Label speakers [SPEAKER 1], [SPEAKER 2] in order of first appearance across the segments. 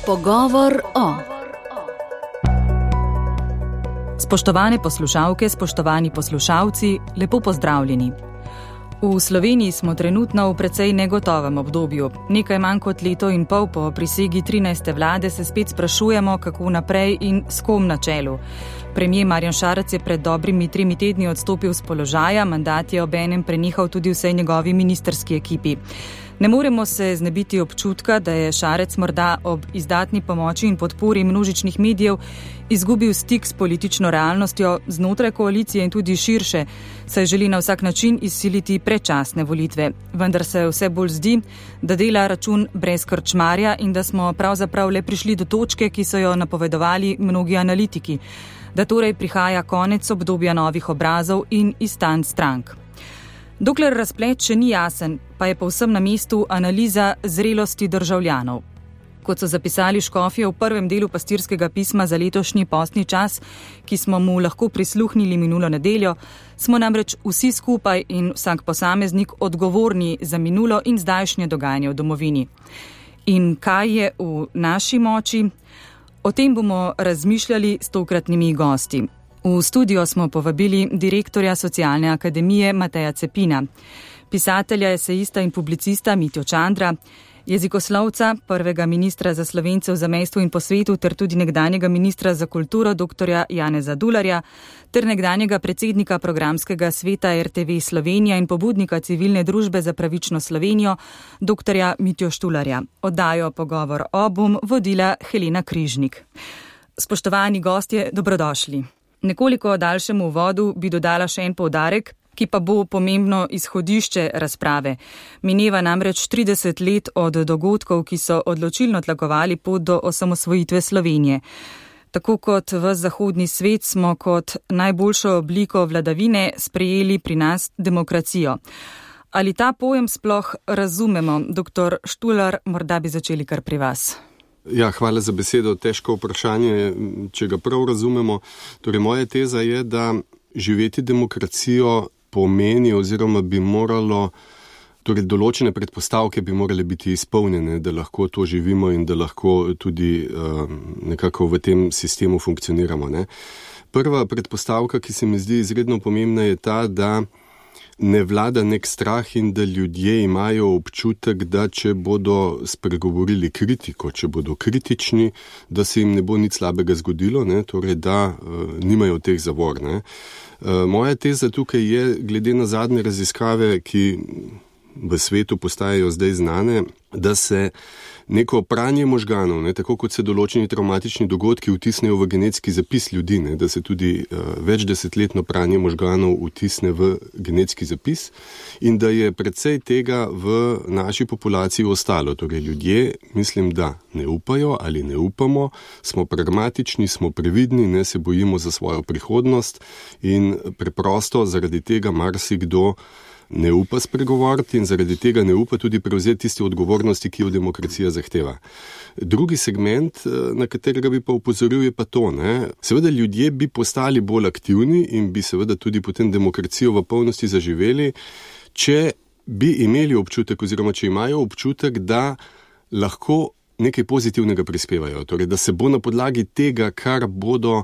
[SPEAKER 1] Pogovor o.
[SPEAKER 2] Spoštovane poslušalke, spoštovani poslušalci, lepo pozdravljeni. V Sloveniji smo trenutno v precej negotovem obdobju. Nekaj manj kot leto in pol po prisegi 13. vlade se spet sprašujemo, kako naprej in s kom na čelu. Premier Marjan Šarec je pred dobrimi 3 tedni odstopil z položaja, mandat je obenem prenehal tudi vsej njegovi ministrski ekipi. Ne moremo se znebiti občutka, da je Šarec morda ob izdatni pomoči in podpori množičnih medijev izgubil stik s politično realnostjo znotraj koalicije in tudi širše, saj želi na vsak način izsiliti predčasne volitve. Vendar se vse bolj zdi, da dela račun brez krčmarja in da smo pravzaprav le prišli do točke, ki so jo napovedovali mnogi analitiki, da torej prihaja konec obdobja novih obrazov in izstanj strank. Dokler razplet še ni jasen, pa je povsem na mestu analiza zrelosti državljanov. Kot so zapisali škofje v prvem delu pastirskega pisma za letošnji postni čas, ki smo mu lahko prisluhnili minulo nedeljo, smo namreč vsi skupaj in vsak posameznik odgovorni za minulo in zdajšnje dogajanje v domovini. In kaj je v naši moči? O tem bomo razmišljali s tokratnimi gosti. V studio smo povabili direktorja Socialne akademije Mateja Cepina, pisatelja, esejista in publicista Mitjo Čandra, jezikoslovca, prvega ministra za Slovence v zamejstvu in po svetu ter tudi nekdanjega ministra za kulturo dr. Janeza Dularja ter nekdanjega predsednika programskega sveta RTV Slovenija in pobudnika civilne družbe za pravično Slovenijo dr. Mitjo Štularja. Oddajo Pogovor o bom vodila Helena Križnik. Spoštovani gostje, dobrodošli. Nekoliko daljšemu uvodu bi dodala še en poudarek, ki pa bo pomembno izhodišče razprave. Mineva namreč 30 let od dogodkov, ki so odločilno tlakovali pot do osamosvojitve Slovenije. Tako kot v zahodni svet smo kot najboljšo obliko vladavine sprejeli pri nas demokracijo. Ali ta pojem sploh razumemo? Dr. Štular, morda bi začeli kar pri vas.
[SPEAKER 3] Ja, hvala za besedo. Težko vprašanje, če ga prav razumemo. Torej, moja teza je, da živeti demokracijo pomeni oziroma bi moralo, torej določene predpostavke bi morale biti izpolnjene, da lahko to živimo in da lahko tudi nekako v tem sistemu funkcioniramo. Ne? Prva predpostavka, ki se mi zdi izredno pomembna, je ta, da ne vlada nek strah in da ljudje imajo občutek, da če bodo spregovorili kritiko, če bodo kritični, da se jim ne bo nič slabega zgodilo, ne? Torej da nimajo teh zavor. Ne? Moja teza tukaj je, glede na zadnje raziskave, ki v svetu postajajo zdaj znane, da se neko pranje možganov, ne, tako kot se določeni travmatični dogodki vtisnejo v genetski zapis ljudi, ne, da se tudi večdesetletno pranje možganov vtisne v genetski zapis in da je precej tega v naši populaciji ostalo. Torej ljudje, mislim, da ne upajo ali ne upamo, smo pragmatični, smo previdni, ne se bojimo za svojo prihodnost in preprosto zaradi tega marsikdo ne upa spregovoriti in zaradi tega ne upa tudi prevzeti tiste odgovornosti, ki jo demokracija zahteva. Drugi segment, na katerega bi pa opozoril, je pa to. Ne? Seveda ljudje bi postali bolj aktivni in bi seveda tudi potem demokracijo v polnosti zaživeli, če bi imeli občutek oziroma če imajo občutek, da lahko nekaj pozitivnega prispevajo. Torej, da se bo na podlagi tega, kar bodo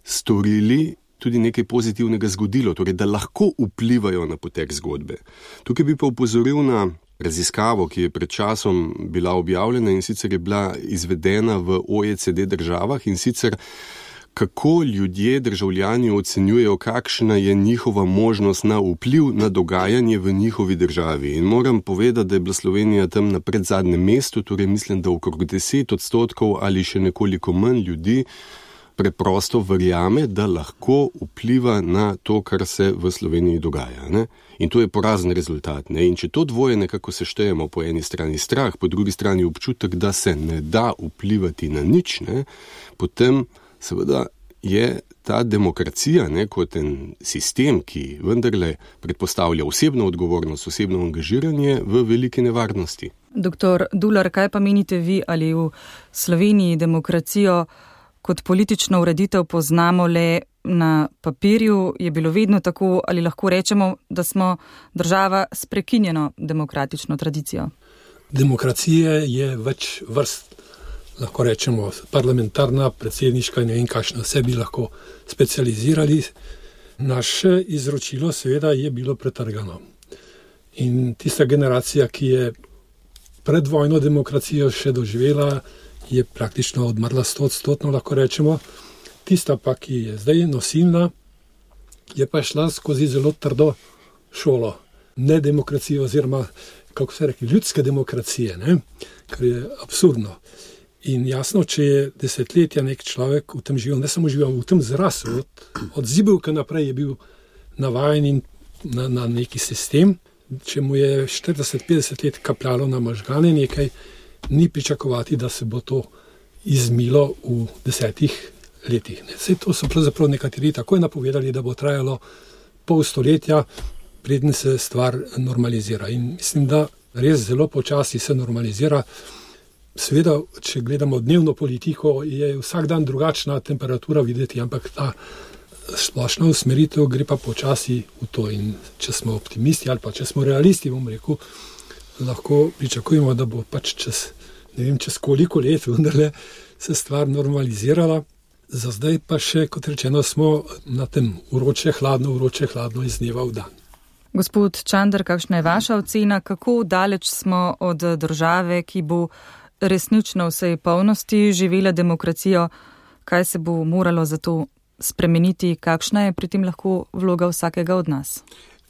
[SPEAKER 3] storili, tudi nekaj pozitivnega zgodilo, torej da lahko vplivajo na potek zgodbe. Tukaj bi pa opozoril na raziskavo, ki je pred časom bila objavljena in sicer je bila izvedena v OECD državah in sicer kako ljudje, državljani ocenjujejo, kakšna je njihova možnost na vpliv na dogajanje v njihovi državi. In moram povedati, da je bila Slovenija tam na predzadnjem mestu, torej mislim, da okrog 10% ali še nekoliko manj ljudi preprosto verjame, da lahko vpliva na to, kar se v Sloveniji dogaja. Ne? In to je porazen rezultat. Ne? In če to dvoje nekako seštejemo, po eni strani strah, po drugi strani občutek, da se ne da vplivati na nič, ne? Potem seveda je ta demokracija, ne, kot en sistem, ki vendarle predpostavlja osebno odgovornost, osebno angažiranje, v veliki nevarnosti.
[SPEAKER 2] Dr. Dular, kaj pa menite vi, ali v Sloveniji demokracijo kot politično ureditev poznamo le na papirju, je bilo vedno tako, ali lahko rečemo, da smo država s prekinjeno demokratično tradicijo?
[SPEAKER 4] Demokracije je več vrst.
[SPEAKER 1] lahko rečemo parlamentarna, predsedniška, ne vem kakšno, vse bi lahko specializirali. Naše izročilo seveda je bilo pretrgano. In tista generacija, ki je predvojno demokracijo še doživela, je praktično odmrla 100%, lahko rečemo. Tista pa, ki je zdaj nosilna, je pa šla skozi zelo trdo šolo. Ne demokracijo oziroma, kako se reče, ljudske demokracije, ne? Kar je absurdno. In jasno, če je desetletja nek človek v tem živel, ne samo živel, v tem zrasel, od zibelka naprej je bil navajen na neki sistem. Če mu je 40-50 let kapljalo na možgane nekaj, ni pričakovati, da se bo to izmilo v 10 letih. Vse to so pravzaprav nekateri takoj napovedali, da bo trajalo pol stoletja, preden se stvar normalizira. In mislim, da res zelo počasi se normalizira. Seveda, če gledamo dnevno politiko, je vsak dan drugačna temperatura videti, ampak ta splošna usmeritev gre pa počasi v to. In če smo optimisti ali pa če smo realisti, bom rekel, lahko pričakujemo, da bo pač čez koliko let vendarle se stvar normalizirala. Za zdaj pa še, kot rečeno, smo na tem vroče, hladno iz dneva v dan.
[SPEAKER 2] Gospod Čander, kakšna je vaša ocena, kako daleč smo od države, ki bo resnično v vsej polnosti živela demokracijo, kaj se bo moralo za to spremeniti, kakšna je pri tem lahko vloga vsakega od nas?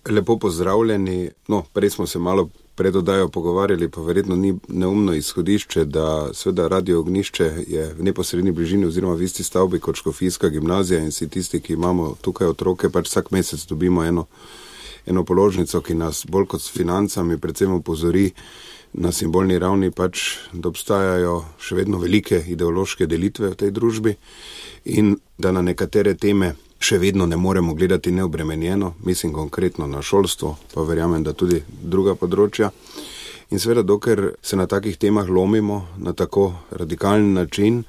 [SPEAKER 4] Lepo pozdravljeni. Prej smo se malo pred oddajo pogovarjali, pa verjetno ni neumno izhodišče, da seveda Radio Ognjišče je v neposredni bližini oziroma v isti stavbi kot Škofijska gimnazija in si tisti, ki imamo tukaj otroke, pač vsak mesec dobimo eno položnico, ki nas bolj kot s financami predvsem opozori na simbolni ravni, pač, da obstajajo še vedno velike ideološke delitve v tej družbi in da na nekatere teme še vedno ne moremo gledati neobremenjeno, mislim konkretno na šolstvo, pa verjamem, da tudi druga področja. In seveda, dokler se na takih temah lomimo na tako radikalen način,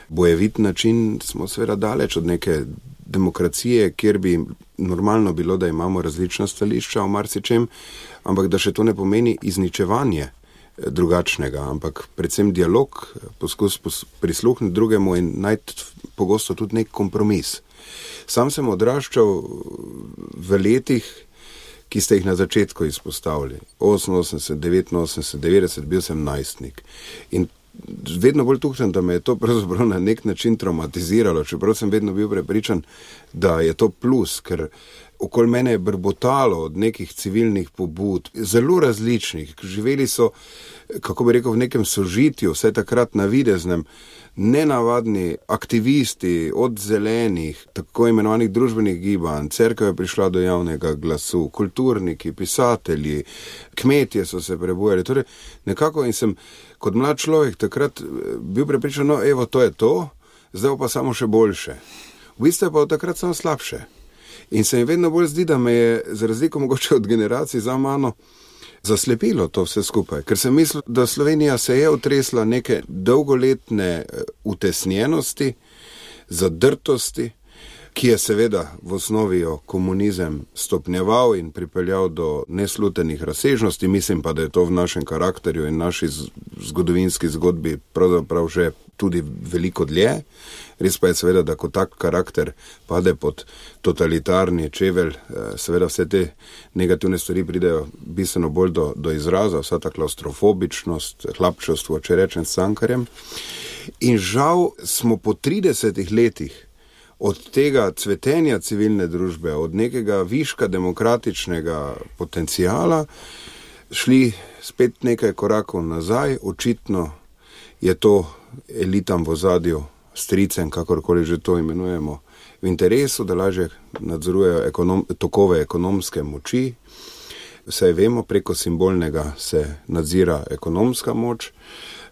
[SPEAKER 4] bojevit način, smo seveda daleč od neke demokracije, kjer bi normalno bilo, da imamo različna stališča o marsičem, ampak da še to ne pomeni izničevanje drugačnega, ampak predvsem dialog, poskus prisluhniti drugemu in najti pogosto tudi nek kompromis. Sam sem odraščal v letih, ki ste jih na začetku izpostavili. 88, 89, 90, bil sem najstnik. In vedno bolj tuhtam, da me je to pravzaprav na nek način traumatiziralo, čeprav sem vedno bil prepričan, da je to plus, ker okoli mene je brbotalo od nekih civilnih pobud, zelo različnih. Živeli so, kako bi rekel, v nekem sožitju, vse takrat navideznem, nenavadni aktivisti od zelenih, tako imenovanih družbenih gibanj, cerkev je prišla do javnega glasu, kulturniki, pisatelji, kmetje so se prebujali. Torej, nekako in sem kot mlad človek takrat bil prepričan, evo, to je to, zdaj pa samo še boljše. V bistvu pa od takrat samo slabše. In se mi vedno bolj zdi, da me je, za razliko mogoče od generacij za mano, zaslepilo to vse skupaj. Ker sem mislil, da Slovenija se je otresla neke dolgoletne utesnjenosti, zadrtosti, ki je seveda v osnovi komunizem stopnjeval in pripeljal do neslutenih razsežnosti. Mislim pa, da je to v našem karakterju in naši zgodovinski zgodbi pravzaprav že tudi veliko dlje. Res pa je seveda, da ko tak karakter pade pod totalitarni čevelj, seveda vse te negativne stvari pridejo bistveno bolj do izraza, vsa ta klaustrofobičnost, hlapčevstvo, če rečem s Cankarjem. In žal smo po 30 letih od tega cvetenja civilne družbe, od nekega viška demokratičnega potencijala, šli spet nekaj korakov nazaj. Očitno je to elitam v ozadju, stricem, kakorkoli že to imenujemo, v interesu, da lažje nadzorujejo tokove ekonomske moči. Vsaj vemo, preko simbolnega se nadzira ekonomska moč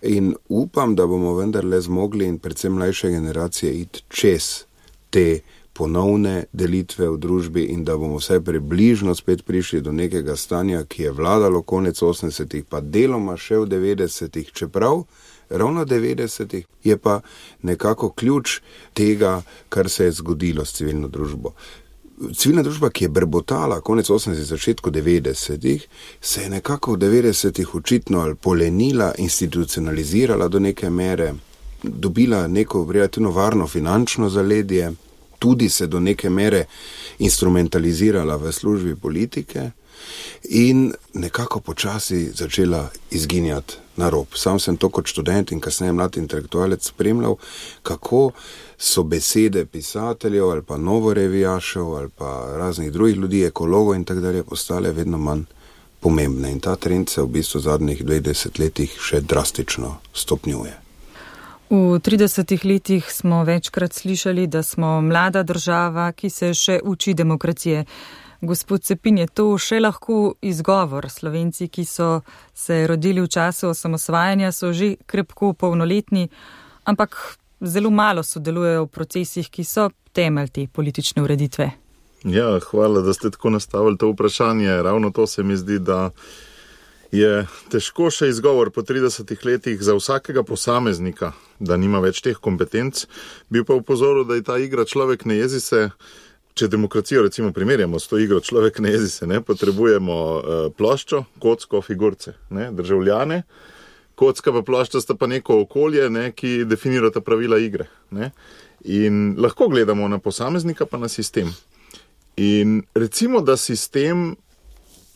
[SPEAKER 4] in upam, da bomo vendarle zmogli in predvsem mlajše generacije iti čez te ponovne delitve v družbi in da bomo vsaj približno spet prišli do nekega stanja, ki je vladalo konec 80-ih, pa deloma še v 90-ih, čeprav ravno 90-ih je pa nekako ključ tega, kar se je zgodilo s civilno družbo. Civilna družba, ki je brbotala konec 80-ih, začetku 90-ih, se je nekako v 90-ih očitno ali polenila, institucionalizirala do neke mere, dobila neko relativno varno finančno zaledje, tudi se do neke mere instrumentalizirala v službi politike in nekako počasi začela izginjati na rob. Sam sem to kot študent in kasneje mlad intelektualec spremljal, kako so besede pisateljev ali pa novorevijašev ali pa raznih drugih ljudi, ekologov in tako dalje, postale vedno manj pomembne. In ta trend se v bistvu v zadnjih 20 letih še drastično stopnjuje.
[SPEAKER 2] V 30 letih smo večkrat slišali, da smo mlada država, ki se še uči demokracije. Gospod Cepin, je to še lahko izgovor? Slovenci, ki so se rodili v času osamosvajanja, so že krepko polnoletni, ampak zelo malo sodelujejo v procesih, ki so temelj te politične ureditve.
[SPEAKER 5] Ja, hvala, da ste tako nastavili to vprašanje. Ravno to se mi zdi, da je težko še izgovor po 30 letih za vsakega posameznika, da nima več teh kompetenc. Bi pa upozoril, da je ta igra človek ne jezi se, če demokracijo recimo primerjamo s to igro človek ne jezi se, ne, potrebujemo ploščo, kocko, figurce, ne, državljane. Kocka pa plošča sta pa neko okolje, ne, ki definirata pravila igre. Ne. In lahko gledamo na posameznika pa na sistem. In recimo, da sistem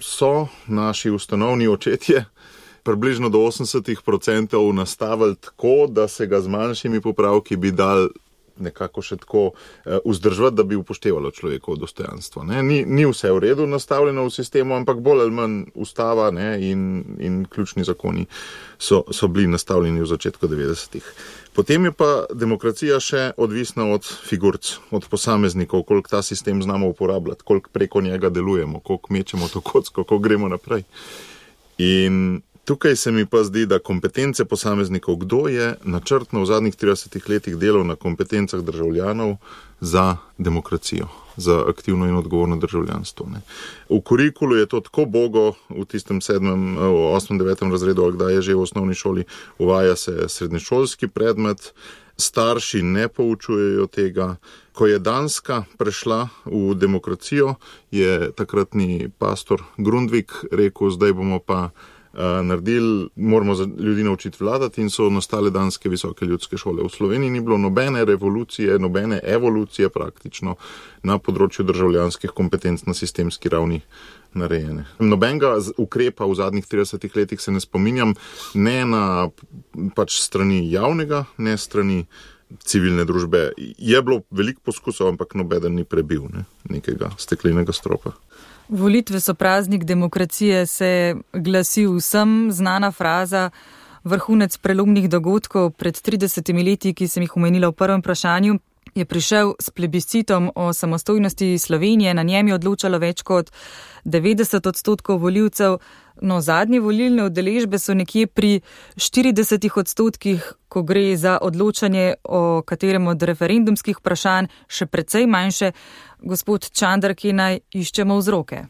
[SPEAKER 5] so naši ustanovni očetje približno do 80% nastavili tako, da se ga z manjšimi popravki bi dal nekako še tako vzdržati, da bi upoštevalo človekovo dostojanstvo. Ne? Ni vse v redu nastavljeno v sistemu, ampak bolj ali manj ustava, ne, in ključni zakoni so bili nastavljeni v začetku 90-ih. Potem je pa demokracija še odvisna od figurc, od posameznikov, koliko ta sistem znamo uporabljati, koliko preko njega delujemo, koliko mečemo to kocko, koliko gremo naprej. In tukaj se mi pa zdi, da kompetence posameznikov, kdo je načrtno v zadnjih 30 letih delal na kompetencah državljanov za demokracijo, za aktivno in odgovorno državljanstvo. Ne. V kurikulu je to tako bogo, v tistem 7., 8., 9. razredu, ali kdaj je že v osnovni šoli, uvaja se srednješolski predmet, starši ne poučujejo tega. Ko je Danska prešla v demokracijo, je takratni pastor Grundtvig rekel, zdaj bomo pa naredili, moramo ljudi naučiti vladati, in so nastale danske visoke ljudske šole. V Sloveniji ni bilo nobene revolucije, nobene evolucije praktično na področju državljanskih kompetenc na sistemski ravni narejene. Nobenega ukrepa v zadnjih 30 letih se ne spominjam, ne na pač strani javnega, ne strani civilne družbe. Je bilo veliko poskusov, ampak nobeden ni prebil nekega steklenega stropa.
[SPEAKER 2] Volitve so praznik demokracije, se glasi vsem znana fraza, vrhunec prelomnih dogodkov pred 30 leti, ki sem jih omenila v prvem vprašanju, je prišel s plebiscitom o samostojnosti Slovenije, na njem je odločalo več kot 90% volivcev, no zadnje volilne udeležbe so nekje pri 40%, ko gre za odločanje o katerem od referendumskih vprašanj, še precej manjše. Gospod Čander, ki naj iščemo vzroke?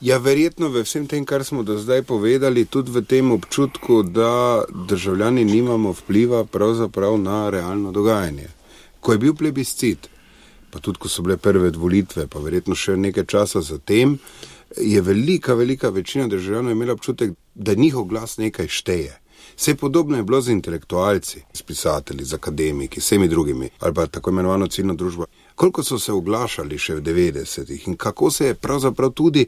[SPEAKER 4] Ja, verjetno v vsem tem, kar smo do zdaj povedali, tudi v tem občutku, da državljani nimamo vpliva pravzaprav na realno dogajanje. Ko je bil plebiscit, pa tudi ko so bile prve volitve, pa verjetno še nekaj časa zatem, je velika večina državljanov imela občutek, da njihov glas nekaj šteje. Vse podobno je bilo z intelektualci, s pisatelji, z akademiki, vsemi drugimi, ali pa tako imenovano civilno družbo. Koliko so se oglašali še v 90-ih in kako se je pravzaprav tudi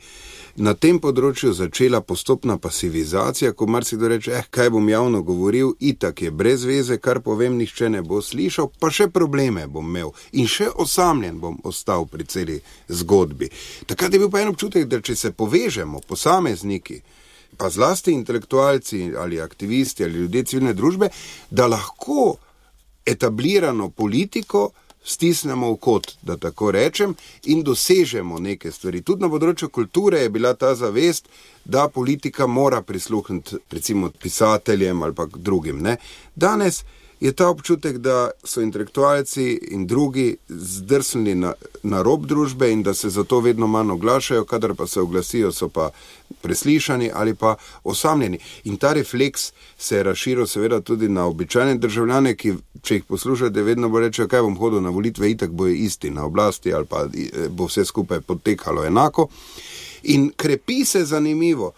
[SPEAKER 4] na tem področju začela postopna pasivizacija, ko marsikdo reče, kaj bom javno govoril, itak je brez veze, kar povem, nihče ne bo slišal, pa še probleme bom imel in še osamljen bom ostal pri celi zgodbi. Takrat je bil pa en občutek, da če se povežemo, posamezniki, pa zlasti intelektualci ali aktivisti ali ljudje civilne družbe, da lahko etablirano politiko stisnemo v kot, da tako rečem, in dosežemo neke stvari. Tudi na področju kulture je bila ta zavest, da politika mora prisluhniti recimo pisateljem ali pa drugim. Ne? Danes je ta občutek, da so intelektualci in drugi zdrsnili na rob družbe in da se zato vedno manj oglašajo, kadar pa se oglasijo, so pa preslišani ali pa osamljeni. In ta refleks se je razširil seveda tudi na običajne državljane, ki, če jih poslušate, vedno bo rečejo, kaj bom hodil na volitve, itak bojo isti na oblasti ali pa bo vse skupaj potekalo enako. In krepi se zanimivo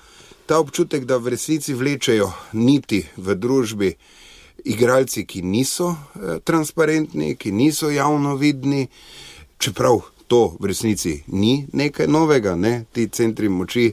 [SPEAKER 4] ta občutek, da v resnici vlečejo niti v družbi igralci, ki niso transparentni, ki niso javno vidni, čeprav to v resnici ni nekaj novega, ne? Ti centri moči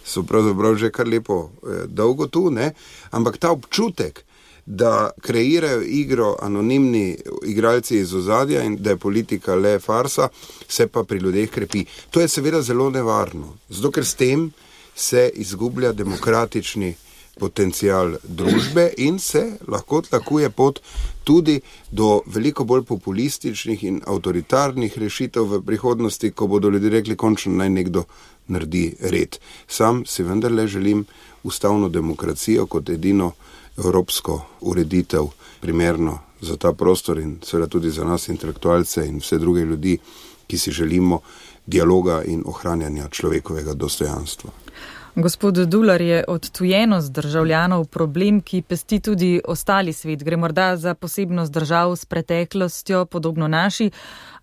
[SPEAKER 4] so pravzaprav že kar lepo dolgo tu, ne? Ampak ta občutek, da kreirajo igro anonimni igralci iz ozadja in da je politika le farsa, se pa pri ljudeh krepi. To je seveda zelo nevarno, zato ker s tem se izgublja demokratični potencial družbe in se lahko tlakuje pot tudi do veliko bolj populističnih in avtoritarnih rešitev v prihodnosti, ko bodo ljudje rekli, končno naj nekdo naredi red. Sam si vendarle želim ustavno demokracijo kot edino evropsko ureditev primerno za ta prostor in seveda tudi za nas intelektualce in vse druge ljudi, ki si želimo dialoga in ohranjanja človekovega dostojanstva.
[SPEAKER 2] Gospod Dular, je odtujenost državljanov problem, ki pesti tudi ostali svet? Gre morda za posebnost držav s preteklostjo, podobno naši,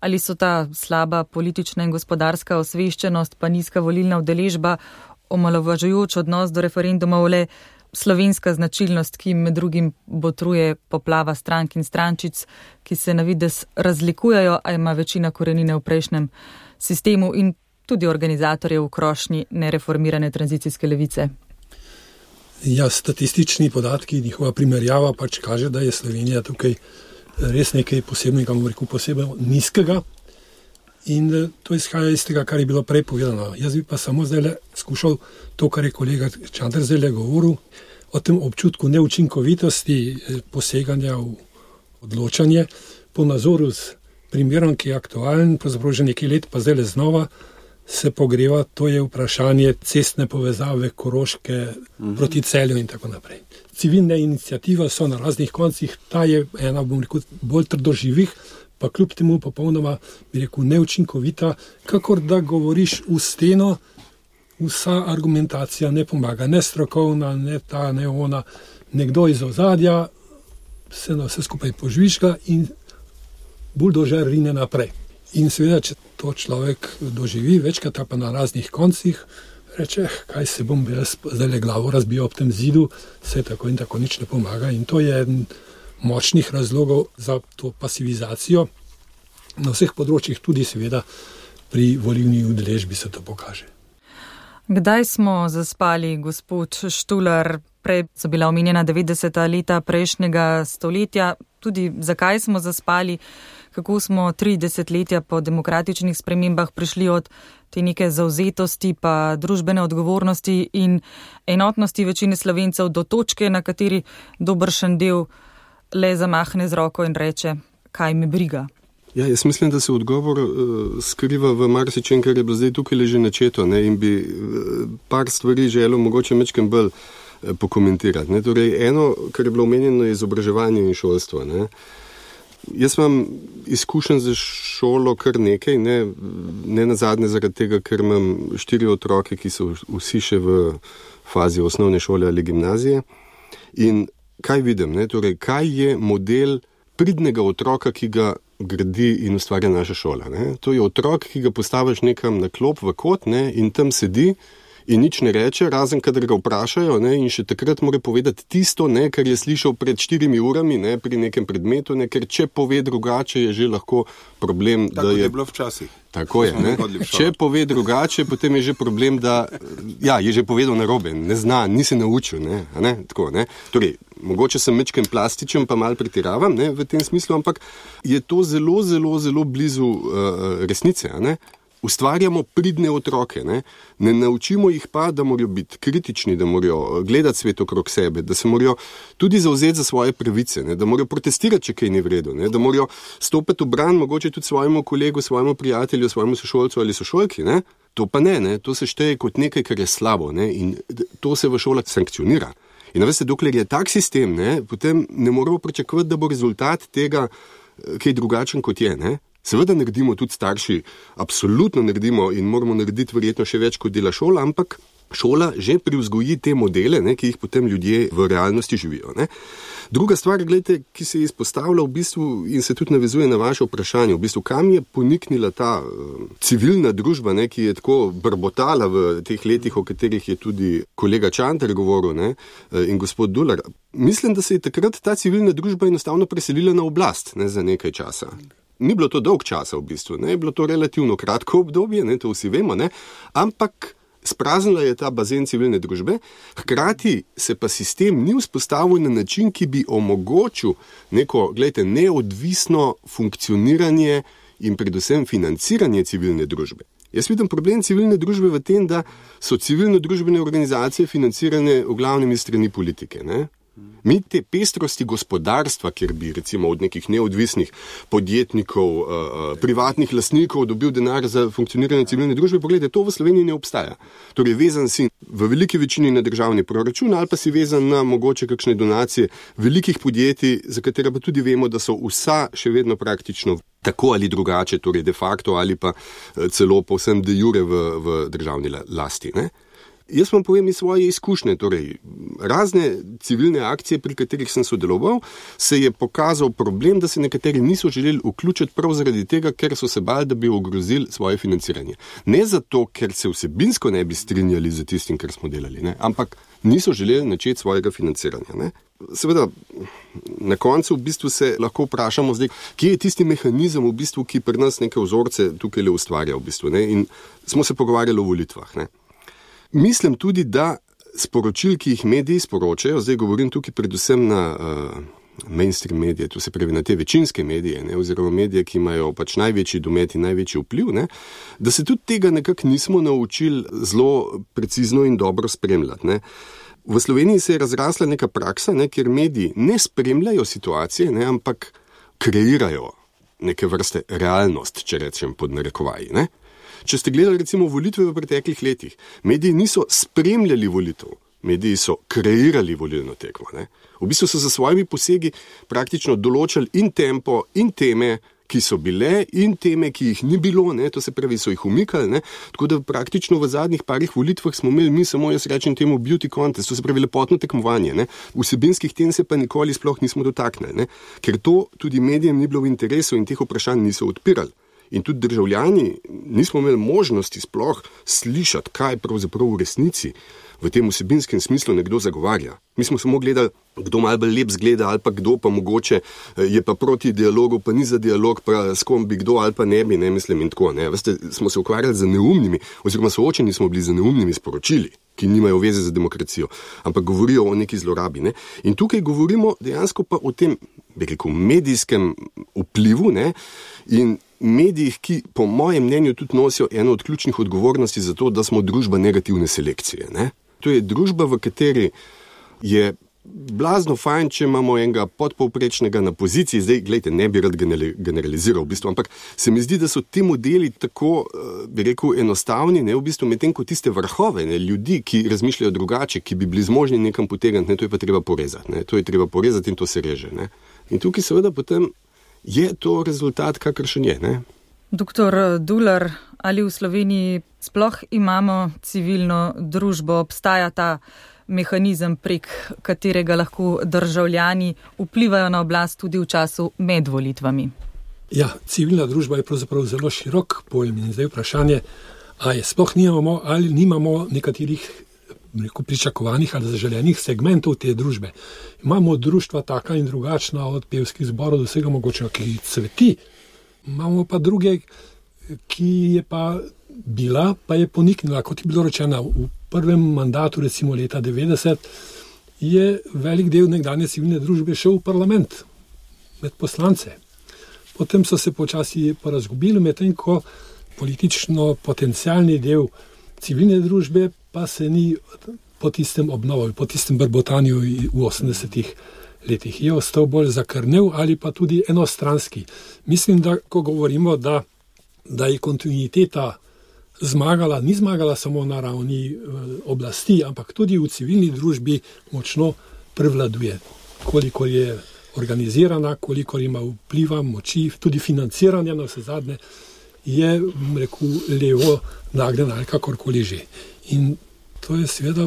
[SPEAKER 2] ali so ta slaba politična in gospodarska osveščenost pa nizka volilna udeležba, omalovažujoč odnos do referendumov le slovenska značilnost, ki med drugim botruje poplava strank in strančic, ki se na vides razlikujejo, a ima večina korenine v prejšnjem sistemu in tudi organizatorje v krošnji nereformirane tranzicijske levice?
[SPEAKER 1] Ja, statistični podatki, njihova primerjava pač kaže, da je Slovenija tukaj res nekaj posebnega, bom rekel, posebej nizkega in to izhaja iz tega, kar je bilo prej povedano. Jaz bi pa samo zdaj skušal to, kar je kolega Čander zdaj govoril, o tem občutku neučinkovitosti poseganja v odločanje po nazoru s primerom, ki je aktualen, pravzaprav že nekaj let, pa zdaj znova se pogreva, to je vprašanje cestne povezave Koroške proti Celju in tako naprej. Civilne iniciative so na raznih koncih, ta je ena, bom rekel, bolj trdoživih, pa kljub temu popolnoma, bi rekel, neučinkovita, kakor da govoriš v steno, vsa argumentacija ne pomaga, ne strokovna, ne ta, ne ona, nekdo iz ozadja se na vse skupaj požvižga in buldožer rine naprej. In seveda, če to človek doživi večkrat, pa na raznih koncih, reče, kaj se bom jaz zdaj glavo razbijal ob tem zidu, se tako in tako nič ne pomaga. In to je eden močnih razlogov za to pasivizacijo. Na vseh področjih, tudi seveda pri volilni udeležbi se to pokaže.
[SPEAKER 2] Kdaj smo zaspali, gospod Štular? Prej so bila omenjena 90. leta prejšnjega stoletja. Tudi zakaj smo zaspali? Kako smo 3 desetletja po demokratičnih spremembah prišli od te neke zavzetosti pa družbene odgovornosti in enotnosti večine Slovencev do točke, na kateri dobršen del le zamahne z roko in reče, kaj me briga?
[SPEAKER 3] Ja, jaz mislim, da se odgovor skriva v marsičem, kar je bilo zdaj tukaj leže načeto, ne, in bi par stvari želel mogoče mečkem bolj pokomentirati. Ne. Torej, eno, kar je bilo omenjeno, je izobraževanje in šolstvo. Ne. Jaz imam izkušen za šolo kar nekaj, ne nazadnje zaradi tega, ker imam 4 otroke, ki so vsi še v fazi osnovne šole ali gimnazije. In kaj vidim? Ne? Torej, kaj je model pridnega otroka, ki ga gradi in ustvarja naša šola? Ne? To je otrok, ki ga postaviš nekam na klop v kot, ne? In tam sedi in nič ne reče, razen kadar ga vprašajo, ne, in še takrat mora povedati tisto, ne, kar je slišal pred 4 urami, ne, pri nekem predmetu, ne, ker če pove drugače, je že lahko problem,
[SPEAKER 4] tako da je bilo včasih.
[SPEAKER 3] Tako je, ne. Če pove drugače, potem je že problem, da je že povedal narobe, ne zna, ni se naučil, ne, tako, ne. Torej, mogoče sem mečkem plastičen, pa malo pretiravam, ne, v tem smislu, ampak je to zelo, zelo, zelo blizu resnice, ne. Ustvarjamo pridne otroke, ne naučimo jih pa, da morajo biti kritični, da morajo gledati svet okrog sebe, da se morajo tudi zavzeti za svoje pravice, ne? Da morajo protestirati, če kaj ni v redu, ne? Da morajo stopiti v bran mogoče tudi svojemu kolegu, svojemu prijatelju, svojemu sošolcu ali sošolki. Ne? To pa ne, to se šteje kot nekaj, kar je slabo, ne? In to se v šolah sankcionira. In veste, dokler je tak sistem, ne? Potem ne moramo pričakovati, da bo rezultat tega kaj drugačen kot je, ne? Seveda naredimo tudi starši, absolutno naredimo in moramo narediti verjetno še več, kot dela šola, ampak šola že privzgoji te modele, ne, ki jih potem ljudje v realnosti živijo. Ne. Druga stvar, gledajte, ki se je izpostavila v bistvu in se tudi navezuje na vaše vprašanje, v bistvu, kam je poniknila ta civilna družba, ne, ki je tako brbotala v teh letih, o katerih je tudi kolega Čanter govoril, ne, in gospod Dular. Mislim, da se je takrat ta civilna družba enostavno preselila na oblast, ne, za nekaj časa. Ni bilo to dolg časa v bistvu, ne, je bilo to relativno kratko obdobje, ne, to vsi vemo, ne, ampak spraznila je ta bazen civilne družbe, hkrati se pa sistem ni vzpostavil na način, ki bi omogočil neko, gledajte, neodvisno funkcioniranje in predvsem financiranje civilne družbe. Jaz vidim problem civilne družbe v tem, da so civilno-družbene organizacije financirane v glavnem iz strani politike, ne? Mi te pestrosti gospodarstva, kjer bi recimo od nekih neodvisnih podjetnikov, privatnih lastnikov dobil denar za funkcioniranje civilne družbe, pogledajte, to v Sloveniji ne obstaja. Torej, vezan si v veliki večini na državni proračun ali pa si vezan na mogoče kakšne donacije velikih podjetij, za katera pa tudi vemo, da so vsa še vedno praktično tako ali drugače, torej de facto ali pa celo povsem de jure v državni lasti, ne? Jaz vam povem iz svoje izkušnje, torej razne civilne akcije, pri katerih sem sodeloval, se je pokazal problem, da se nekateri niso želeli vključiti prav zaradi tega, ker so se bali, da bi ogrozili svoje financiranje. Ne zato, ker se vsebinsko ne bi strinjali z tistim, kar smo delali, ne? Ampak niso želeli načeti svojega financiranja. Ne? Seveda, na koncu v bistvu se lahko vprašamo zdaj, kje je tisti mehanizem, v bistvu, ki pri nas neke vzorce tukaj le ustvarja, v bistvu, ne? In smo se pogovarjali o volitvah, ne? Mislim tudi, da sporočil, ki jih mediji sporočajo, zdaj govorim tukaj predvsem na mainstream medije, to se pravi na te večinske medije, ne, oziroma medije, ki imajo pač največji domet in največji vpliv, ne, da se tudi tega nekako nismo naučili zelo precizno in dobro spremljati. Ne. V Sloveniji se je razrasla neka praksa, ne, kjer mediji ne spremljajo situacije, ne, ampak kreirajo neke vrste realnost, če rečem pod narekovaji, ne. Če ste gledali recimo volitve v preteklih letih, mediji niso spremljali volitev, mediji so kreirali volilno tekmo. Ne? V bistvu so za svojimi posegi praktično določali in tempo, in teme, ki so bile, in teme, ki jih ni bilo, ne? To se pravi, so jih umikali. Ne? Tako da praktično v zadnjih parih volitvah smo imeli mi samo, jaz rečem temu, beauty contest, to se pravi lepotno tekmovanje. Ne? Vsebinskih tem se pa nikoli sploh nismo dotaknili, ne? Ker to tudi medijem ni bilo v interesu in teh vprašanj niso odpirali. In tudi državljani nismo imeli možnosti sploh slišati, kaj pravzaprav v resnici v tem vsebinskem smislu nekdo zagovarja. Mi smo samo gledali, kdo malo bolj lep zgleda ali pa kdo pa mogoče je pa proti dialogu, pa ni za dialog, pa s kom bi kdo ali pa ne bi, ne mislim in tako. Ne. Veste, smo se ukvarjali z neumnimi, oziroma soočeni smo bili z neumnimi sporočili, ki nimajo veze za demokracijo, ampak govorijo o neki zlorabi. Ne. In tukaj govorimo dejansko pa o tem, bi rekel, medijskem vplivu, ne, in medijih, ki po mojem mnenju tudi nosijo eno od ključnih odgovornosti za to, da smo družba negativne selekcije. Ne. To je družba, v kateri je blazno fajn, če imamo enega podpovprečnega na poziciji, zdaj, gledajte, ne bi rad generaliziral v bistvu, ampak se mi zdi, da so ti modeli tako, bi rekel, enostavni, ne, v bistvu medtem ko tiste vrhove, ne, ljudi, ki razmišljajo drugače, ki bi bili zmožni nekam potegniti, ne, to je pa treba porezati, ne, to je treba porezati in to se reže, ne. In tukaj seveda potem je to rezultat, kakršen je, ne.
[SPEAKER 2] Doktor Dular, ali v Sloveniji sploh imamo civilno družbo, obstaja ta mehanizem, prek katerega lahko državljani vplivajo na oblast tudi v času med volitvami?
[SPEAKER 1] Ja, civilna družba je pravzaprav zelo širok pojem in zdaj vprašanje, a je sploh nimamo ali nimamo nekaterih pričakovanih ali zaželenih segmentov te družbe. Imamo društva taka in drugačna, od pevskih zborov do vsega mogočega, ki cveti. Imamo pa druge, ki je pa bila, pa je poniknila, kot je bilo rečeno, v prvem mandatu, recimo leta 90, je velik del nekdanje civilne družbe šel v parlament, med poslance. Potem so se počasi porazgubili, medtem ko politično potencialni del civilne družbe pa se ni po tistem obnovil, po tistem brbotanju v 80-ih letih. Je ostal bolj zakrnev ali pa tudi enostranski. Mislim, da ko govorimo, da je kontinuiteta zmagala, ni zmagala samo na ravni oblasti, ampak tudi v civilni družbi močno prevladuje. Koliko je organizirana, koliko ima vpliva, moči, tudi financiranja na vse zadnje, je, rekel, levo nagnjena ali kakorkoli že. In To je seveda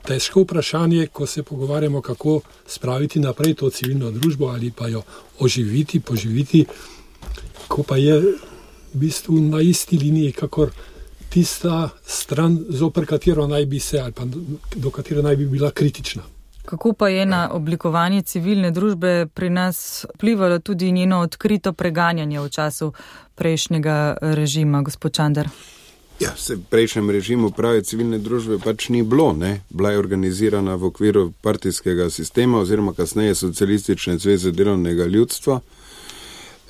[SPEAKER 1] težko vprašanje, ko se pogovarjamo, kako spraviti naprej to civilno družbo ali pa jo oživiti, poživiti, ko pa je v bistvu na isti liniji, kakor tista stran, zoper katero naj bi se ali pa do katere naj bi bila kritična.
[SPEAKER 2] Kako pa je na oblikovanje civilne družbe pri nas vplivalo tudi njeno odkrito preganjanje v času prejšnjega režima, gospod Čander?
[SPEAKER 4] Ja, v prejšnjem režimu prave civilne družbe pač ni bilo, ne? Bila je organizirana v okviru partijskega sistema oziroma kasneje Socialistične zveze delovnega ljudstva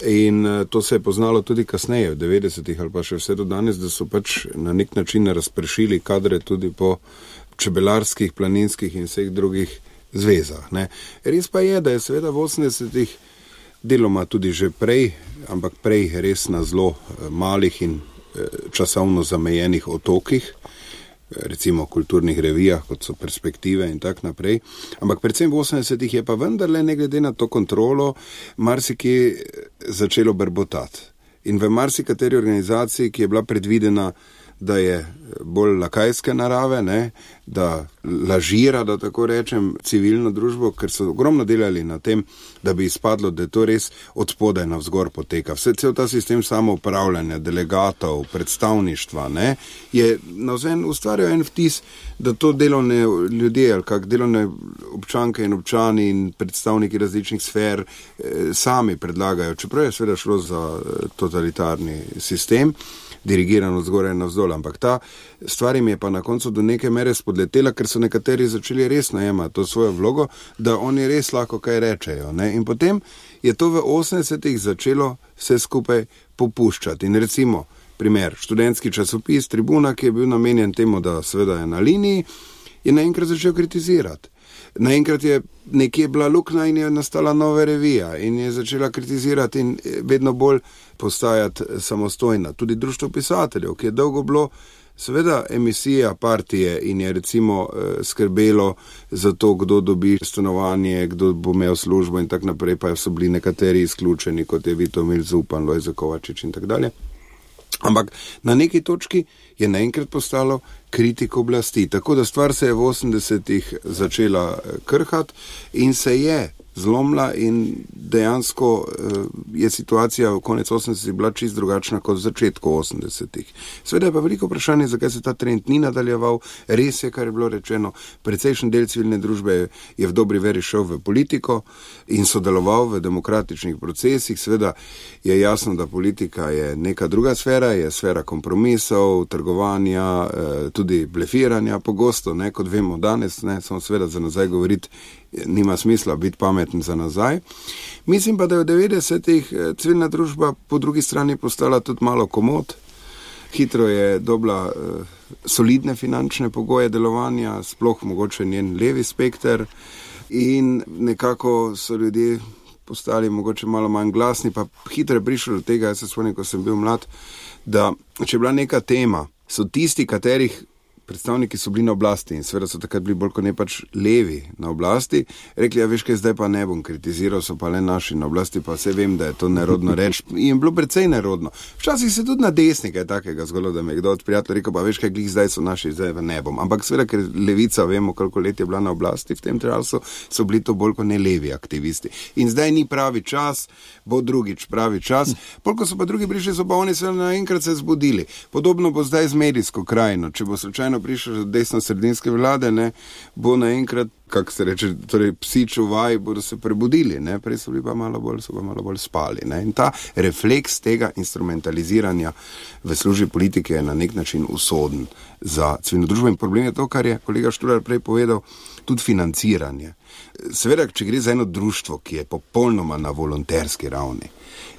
[SPEAKER 4] in to se je poznalo tudi kasneje, v 90-ih ali pa še vse do danes, da so pač na nek način razpršili kadre tudi po čebelarskih, planinskih in vseh drugih zvezah. Ne? Res pa je, da je seveda v 80-ih deloma tudi že prej, ampak prej res na zelo malih in časovno zamejenih otokih, recimo kulturnih revijah, kot so Perspektive in tak naprej. Ampak predvsem v 80-ih je pa vendarle, ne glede na to kontrolo, marsikaj začelo brbotati. In v marsikateri organizaciji, ki je bila predvidena, da je bolj lakajske narave, ne, da lažira, da tako rečem, civilno družbo, ker so ogromno delali na tem, da bi izpadlo, da je to res od spodaj navzgor poteka. Cel ta sistem samoupravljanja, delegatov, predstavništva, ne, je navzven ustvarjal en vtis, da to delovne ljudje ali kak delovne občanke in občani in predstavniki različnih sfer sami predlagajo, čeprav je seveda šlo za totalitarni sistem, dirigirano zgoraj in navzdol, ampak ta stvar jim je pa na koncu do neke mere spodletela, ker so nekateri začeli res najemati to svojo vlogo, da oni res lahko kaj rečejo. Ne? In potem je to v 80-ih začelo vse skupaj popuščati. In recimo, primer, študentski časopis Tribuna, ki je bil namenjen temu, da seveda je na liniji, je naenkrat začel kritizirati. Naenkrat je nekje bila luknja in je nastala nova revija in je začela kritizirati in vedno bolj postajati samostojna. Tudi društvo pisateljev, ki je dolgo bilo seveda emisija partije in je recimo skrbelo za to, kdo dobi stanovanje, kdo bo imel službo in tak naprej, pa so bili nekateri izključeni, kot je Vitomil Zupan, Lojze Kovačič in tak dalje. Ampak na neki točki je naenkrat postalo kritik oblasti. Tako da stvar se je v 80-ih začela krhati in se je zlomila in dejansko je situacija v konec 80-ih bila čist drugačna kot v začetku 80-ih. Seveda je pa veliko vprašanje, zakaj se ta trend ni nadaljeval. Res je, kar je bilo rečeno, precejšen del civilne družbe je v dobri veri šel v politiko in sodeloval v demokratičnih procesih. Seveda je jasno, da politika je neka druga sfera, je sfera kompromisov, trgovanja, tudi blefiranja, pogosto, ne, kot vemo danes, ne, samo seveda za nazaj govoriti nima smisla biti pameten za nazaj. Mislim pa, da je v 90-ih civilna družba po drugi strani postala tudi malo komod. Hitro je dobila solidne finančne pogoje delovanja, sploh mogoče njen levi spekter in nekako so ljudje postali mogoče malo manj glasni, pa hitro je prišlo do tega, jaz se spomnim, ko sem bil mlad, da če je bila neka tema, so tisti, katerih predstavniki so bili na oblasti in seveda so takrat bili bolj kot ne pač levi na oblasti, rekli, ja veš kaj, zdaj pa ne bom kritiziral, so pa le naši na oblasti, pa vse vem, da je to nerodno reč in bilo precej nerodno. Včasih se tudi na desni kaj takega zgolo, da me je kdo od prijatelj rekel, pa veš kaj, glih zdaj so naši, zdaj pa ne bom. Ampak seveda, ker levica, vemo, koliko let je bila na oblasti v tem času, so bili to bolj kot ne levi aktivisti. In zdaj ni pravi čas, bo drugič pravi čas. Polko so pa drugi prišli, so pa oni se naenkrat se zbudili. Podobno bo zdaj z medijsko krajino, če bo slučajno prišel desno-sredinske vlade, ne, bo naenkrat, kako se reče, torej psi čuvaj bodo se prebudili, ne, prej so bili pa malo bolj spali, ne, in ta refleks tega instrumentaliziranja v službi politike je na nek način usoden za civilno družbo in problem je to, kar je kolega Štular prej povedal, tudi financiranje. Seveda, če gre za eno društvo, ki je popolnoma na volonterski ravni,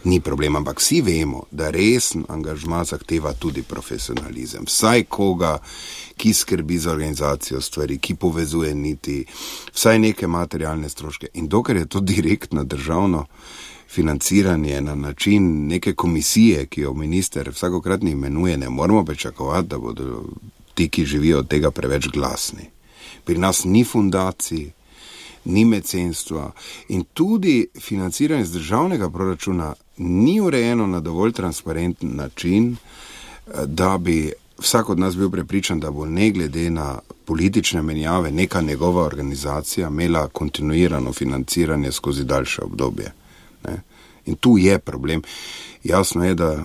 [SPEAKER 4] ni problem, ampak vsi vemo, da resen angažma zahteva tudi profesionalizem. Vsaj koga, ki skrbi za organizacijo stvari, ki povezuje niti, vsaj neke materialne stroške. In dokler je to direktno državno financiranje na način neke komisije, ki jo minister vsakokratni imenuje, ne moramo pričakovati, da bodo ti, ki živijo od tega, preveč glasni. Pri nas ni fundacij, ni mecenstva in tudi financiranje z državnega proračuna ni urejeno na dovolj transparenten način, da bi vsak od nas bil prepričan, da bo ne glede na politične menjave neka njegova organizacija imela kontinuirano financiranje skozi daljše obdobje. Ne? In tu je problem. Jasno je, da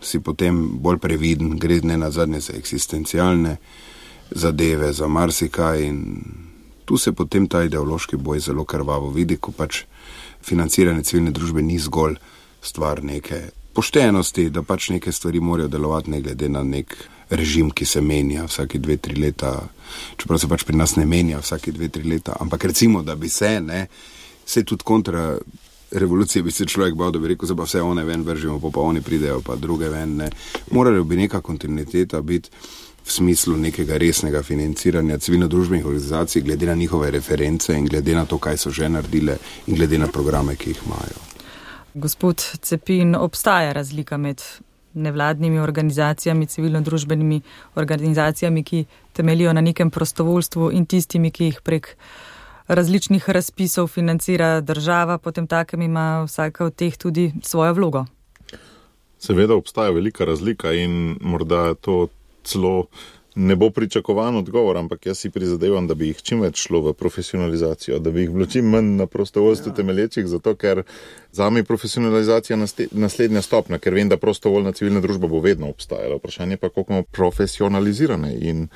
[SPEAKER 4] si potem bolj previden, gre ne nazadnje za eksistencialne zadeve, za marsikaj in tu se potem ta ideološki boj zelo krvavo vidi, ko pač financiranje civilne družbe ni zgolj stvar neke poštenosti, da pač neke stvari morajo delovati ne glede na nek režim, ki se menja vsake 2-3 leta, čeprav se pač pri nas ne menja vsake 2-3 leta, ampak recimo, da bi se tudi kontra revolucije bi se človek bal, da bi rekel, da pa vse one ven vržimo, pa oni pridejo, pa druge ven, ne. Morala bi neka kontinuiteta biti v smislu nekega resnega financiranja civilno-družbenih organizacij, glede na njihove reference in glede na to, kaj so že naredile in glede na programe, ki jih imajo.
[SPEAKER 2] Gospod Cepin, obstaja razlika med nevladnimi organizacijami, civilno-družbenimi organizacijami, ki temeljijo na nekem prostovoljstvu in tistimi, ki jih prek različnih razpisov financira država, potem takem ima vsaka od teh tudi svojo vlogo.
[SPEAKER 5] Seveda obstaja velika razlika in morda to celo ne bo pričakovan odgovor, ampak jaz si prizadevam, da bi jih čim več šlo v profesionalizacijo, da bi jih bilo čim manj na prostovoljstvu temelječih, zato ker zame je profesionalizacija naslednja stopnja, ker vem, da prostovoljna civilna družba bo vedno obstajala. Vprašanje pa, koliko bomo profesionalizirane in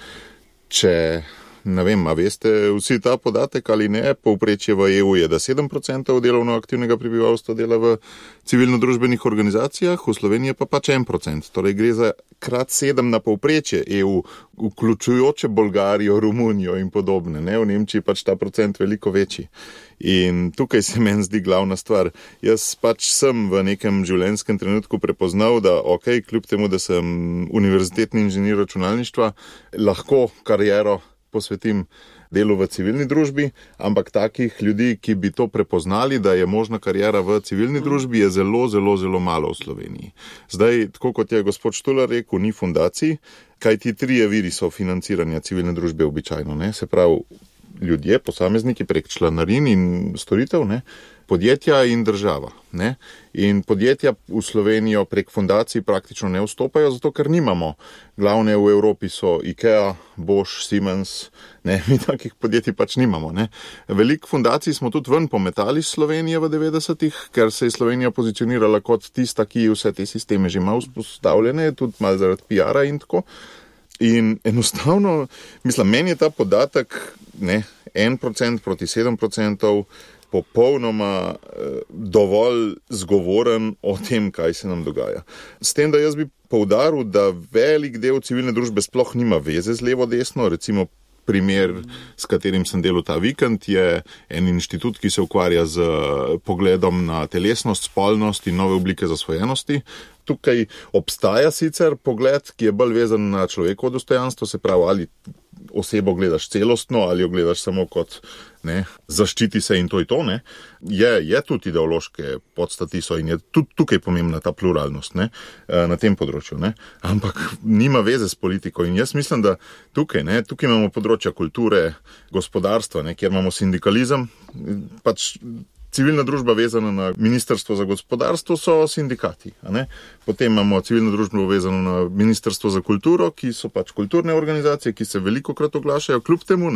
[SPEAKER 5] če, ne vem, a veste vsi ta podatek ali ne, povprečje v EU je, da 7% delovno aktivnega prebivalstva dela v civilno-družbenih organizacijah, v Sloveniji pa pač 1%. Torej gre za krat 7 na povprečje EU, vključujoče Bolgarijo, Romunijo in podobne. Ne? V Nemčiji pač ta procent veliko večji. In tukaj se meni zdi glavna stvar. Jaz pač sem v nekem življenjskem trenutku prepoznal, da kljub temu, da sem univerzitetni inženir računalništva, lahko kariero posvetim delu v civilni družbi, ampak takih ljudi, ki bi to prepoznali, da je možna karijera v civilni družbi, je zelo, zelo, zelo malo v Sloveniji. Zdaj, tako kot je gospod Štular rekel, ni fundacij, kaj ti 3 viri so financiranja civilne družbe običajno, ne? Se pravi, ljudje, posamezniki prek članarin in storitev, ne? Podjetja in država. Ne? In podjetja v Slovenijo prek fundacij praktično ne vstopajo, zato ker nimamo. Glavne v Evropi so IKEA, Bosch, Siemens, ne? Mi takih podjetij pač nimamo. Ne? Veliko fundacij smo tudi ven pometali iz Slovenije v 90-ih, ker se je Slovenija pozicionirala kot tista, ki vse te sisteme že ima vzpostavljene, tudi malo zaradi PR-a in tako. In enostavno, meni je ta podatek 1% proti 7% popolnoma dovolj zgovoren o tem, kaj se nam dogaja. S tem, da jaz bi poudaril, da velik del civilne družbe sploh nima veze z levo-desno, recimo primer, s katerim sem delal ta vikend, je en inštitut, ki se ukvarja z pogledom na telesnost, spolnost in nove oblike zasvojenosti. Tukaj obstaja sicer pogled, ki je bolj vezan na človekovo dostojanstvo, se pravi, ali osebo gledaš celostno, ali jo gledaš samo kot zaščiti se in to je to. Ne? Je tudi ideološke podstati so in je tudi tukaj pomembna ta pluralnost na tem področju. Ne? Ampak nima veze s politiko in jaz mislim, da tukaj imamo področja kulture, gospodarstva, kjer imamo sindikalizem, pač civilna družba vezana na Ministrstvo za gospodarstvo so sindikati. Potem imamo civilno družbo vezano na Ministrstvo za kulturo, ki so pač kulturne organizacije, ki se velikokrat oglašajo, kljub temu,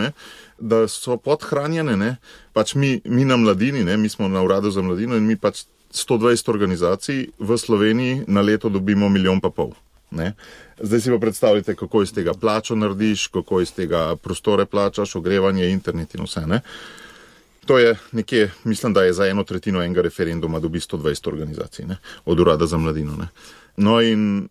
[SPEAKER 5] da so podhranjene. Pač mi na mladini, mi smo na uradu za mladino in mi pač 120 organizacij v Sloveniji na leto dobimo 1,5 milijona. Zdaj si pa predstavljate, kako iz tega plačo narediš, kako iz tega prostore plačaš, ogrevanje, internet in vse. To je nekje, mislim, da je za 1/3 enega referenduma dobi 120 organizacij, od urada za mladino. No in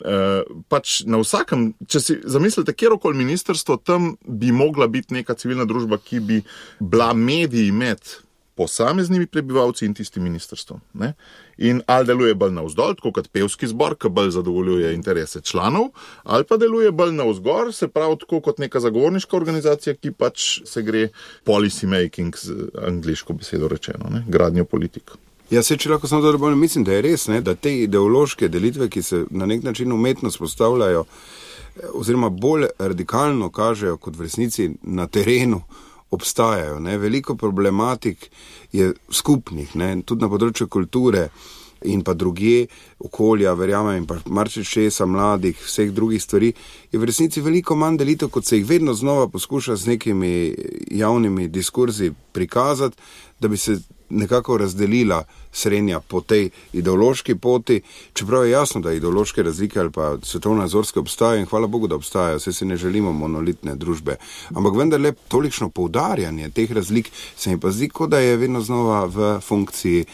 [SPEAKER 5] pač na vsakem, če si zamislite, kjerokoli ministrstvo, tam bi mogla biti neka civilna družba, ki bi bila medij med posameznimi prebivalci in tistim ministrstvom. In ali deluje bolj navzdol, tako kot pevski zbor, ki bolj zadovoljuje interese članov, ali pa deluje bolj navzgor, se pravi tako kot neka zagovorniška organizacija, ki pač se gre policy making, z angliško besedo rečeno, gradnjo politik.
[SPEAKER 4] Ja, če lahko samo dobro bolj, mislim, da je res, da te ideološke delitve, ki se na nek način umetno spostavljajo, oziroma bolj radikalno kažejo kot v resnici na terenu, obstajajo. Veliko problematik je skupnih, tudi na področju kulture. in pa drugje okolja, verjamem, in pa marsičesa mladih, vseh drugih stvari, je v resnici veliko manj delitev, kot se jih vedno znova poskuša z nekimi javnimi diskurzi prikazati, da bi se nekako razdelila srednja po tej ideološki poti, čeprav je jasno, da ideološke razlike ali pa svetovnonazorske obstajajo in hvala Bogu, da obstajajo, saj si ne želimo monolitne družbe. Ampak vendarle tolikšno poudarjanje teh razlik se mi pa zdi, kot da je vedno znova v funkciji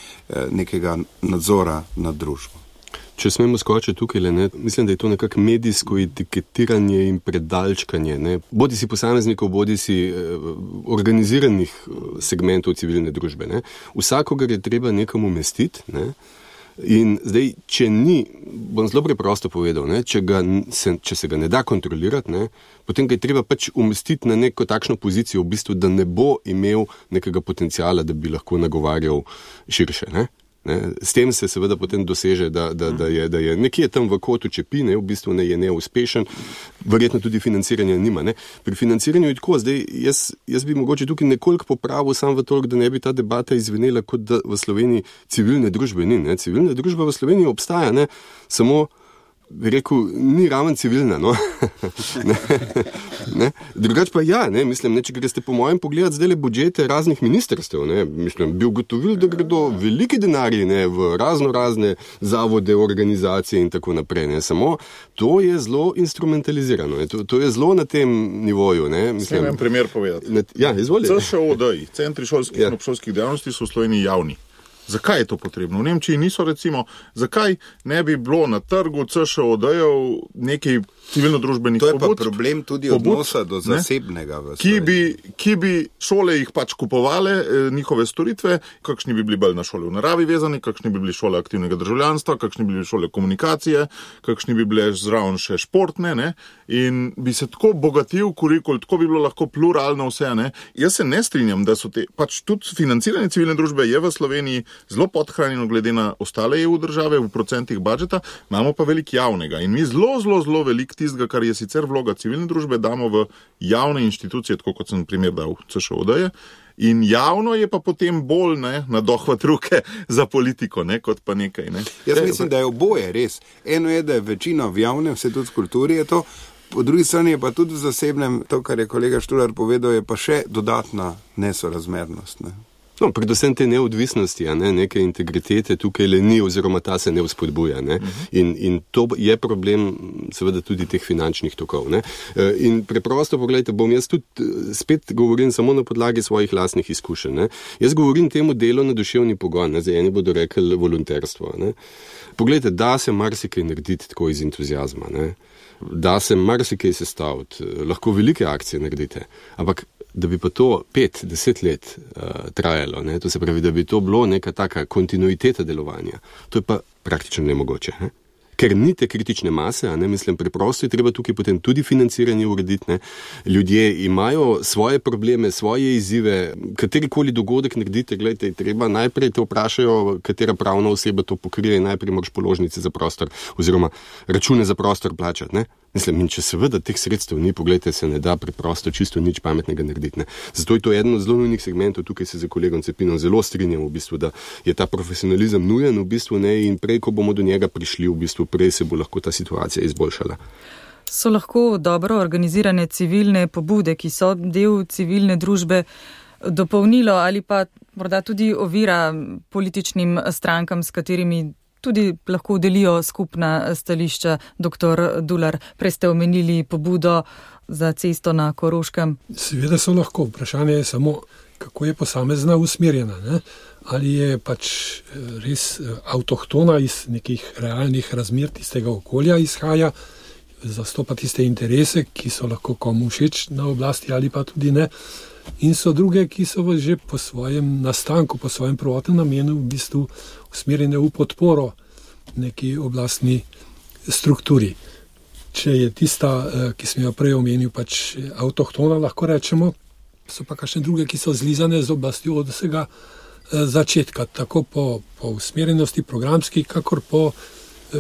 [SPEAKER 4] nekega nadzora nad družbo.
[SPEAKER 3] Če smemo skočiti tukaj, mislim, da je to nekako medijsko etiketiranje in predalčkanje, bodi si posameznikov, bodi si organiziranih segmentov civilne družbe. Vsakogar je treba nekam umestiti. In zdaj, če ni, bom zelo preprosto povedal, če se ga ne da kontrolirati, potem ga je treba pač umestiti na neko takšno pozicijo, v bistvu, da ne bo imel nekega potencijala, da bi lahko nagovarjal širše. S tem se seveda potem doseže, da je nekje tam v kotu čepi, v bistvu je neuspešen, verjetno tudi financiranja nima. Pri financiranju je tako, zdaj jaz bi mogoče tukaj nekoliko popravil sam v toliko, da ne bi ta debata izvenela, kot da v Sloveniji civilne družbe ni. Civilna družba v Sloveniji obstaja, samo bi rekel, ni raven civilna, Drugač pa mislim, če greste po mojem pogledati zdaj budžete raznih ministrstev, mislim, bi ugotovili, da gredo veliki denarji, v razne zavode, organizacije in tako naprej, Samo to je zelo instrumentalizirano, to je zelo na tem nivoju, Mislim,
[SPEAKER 5] en primer povedati.
[SPEAKER 3] Izvolite.
[SPEAKER 5] CŠOD, centri šolskih in obšolskih dejavnosti so v Sloveniji javni. Zakaj je to potrebno? V Nemčiji niso, recimo, zakaj ne bi bilo na trgu CŠOD-jev nekaj civilno-družbenih pobud?
[SPEAKER 4] To je pa problem tudi odnosa do zasebnega.
[SPEAKER 5] Ki bi šole jih pač kupovale, njihove storitve, kakšni bi bili bolj na šole v naravi vezani, kakšni bi bili šole aktivnega državljanstva, kakšni bi bili šole komunikacije, kakšni bi bile zraven še športne, in bi se tako bogatil kurikul, tako bi bilo lahko pluralno vse, Jaz se ne strinjam, da so pač tudi financiranje civilne družbe je v Sloveniji zelo podhranjeno glede na ostale EU države v procentih budžeta, imamo pa veliko javnega in mi zelo veliko tistega, kar je sicer vloga civilne družbe, damo v javne inštitucije, tako kot sem primer dal CŠOD-je, in javno je pa potem bolj na dohvat ruke za politiko, kot pa nekaj.
[SPEAKER 4] Jaz mislim, da je oboje res. Eno je, da je večina v javnem, vse tudi v kulturi je to, po drugi strani je pa tudi v zasebnem, to, kar je kolega Štular povedal, je pa še dodatna nesorazmernost.
[SPEAKER 3] Predvsem te neodvisnosti, neke integritete tukaj le ni oziroma ta se ne vzpodbuja. In to je problem seveda tudi teh finančnih tokov. In preprosto, pogledajte, bom jaz tudi spet govorim samo na podlagi svojih lastnih izkušenj. Jaz govorim temu delo na duševni pogon, zdaj eni bodo rekli volonterstvo. Poglejte, da se marsikaj narediti tako iz entuziazma. Da se marsikaj sestaviti, lahko velike akcije naredite, ampak da bi pa to 5-10 let trajalo, to se pravi, da bi to bilo neka taka kontinuiteta delovanja, to je pa praktično nemogoče. Ker ni te kritične mase, mislim, preprosto je treba tukaj potem tudi financiranje urediti. Ljudje imajo svoje probleme, svoje izzive, katerikoli dogodek naredite, gledajte, treba najprej te vprašajo, katera pravna oseba to pokrije in najprej moraš položnice za prostor oziroma račune za prostor plačati. Mislim, in če seveda teh sredstev ni, pogledajte, se ne da preprosto čisto nič pametnega narediti. Zato je to eden od zelo nujnih segmentov, tukaj se za kolegom Cepinom zelo strinjam, v bistvu, da je ta profesionalizem nujen, v bistvu, in prej, ko bomo do njega prišli, v bistvu, prej se bo lahko ta situacija izboljšala.
[SPEAKER 2] So lahko dobro organizirane civilne pobude, ki so del civilne družbe, dopolnilo ali pa morda tudi ovira političnim strankam, s katerimi tudi lahko delijo skupna stališča. Dr. Dular, prej ste omenili pobudo za cesto na Koroškem.
[SPEAKER 1] Seveda so lahko. Vprašanje je samo, kako je posamezna usmerjena. Ali je pač res avtohtona iz nekih realnih razmer tistega okolja izhaja, zastopa tiste interese, ki so lahko komu všeč na oblasti ali pa tudi ne. In so druge, ki so že po svojem nastanku, po svojem prvotnem namenu v bistvu usmerjene v podporo neki oblastni strukturi. Če je tista, ki sem jo prej omenil, pač avtohtona, lahko rečemo, so pa kakšne druge, ki so zlizane z oblastjo od vsega začetka, tako po usmerjenosti programski, kakor po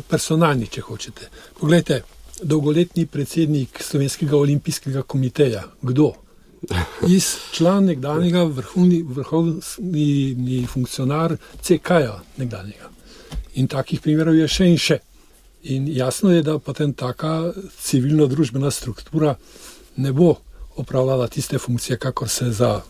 [SPEAKER 1] personalni, če hočete. Poglejte, dolgoletni predsednik Slovenskega olimpijskega komiteja, kdo? Član nekdanjega vrhovni funkcionar CK-ja nekdanjega. In takih primerov je še in še. In jasno je, da potem taka civilno-družbena struktura ne bo opravljala tiste funkcije, kakor se za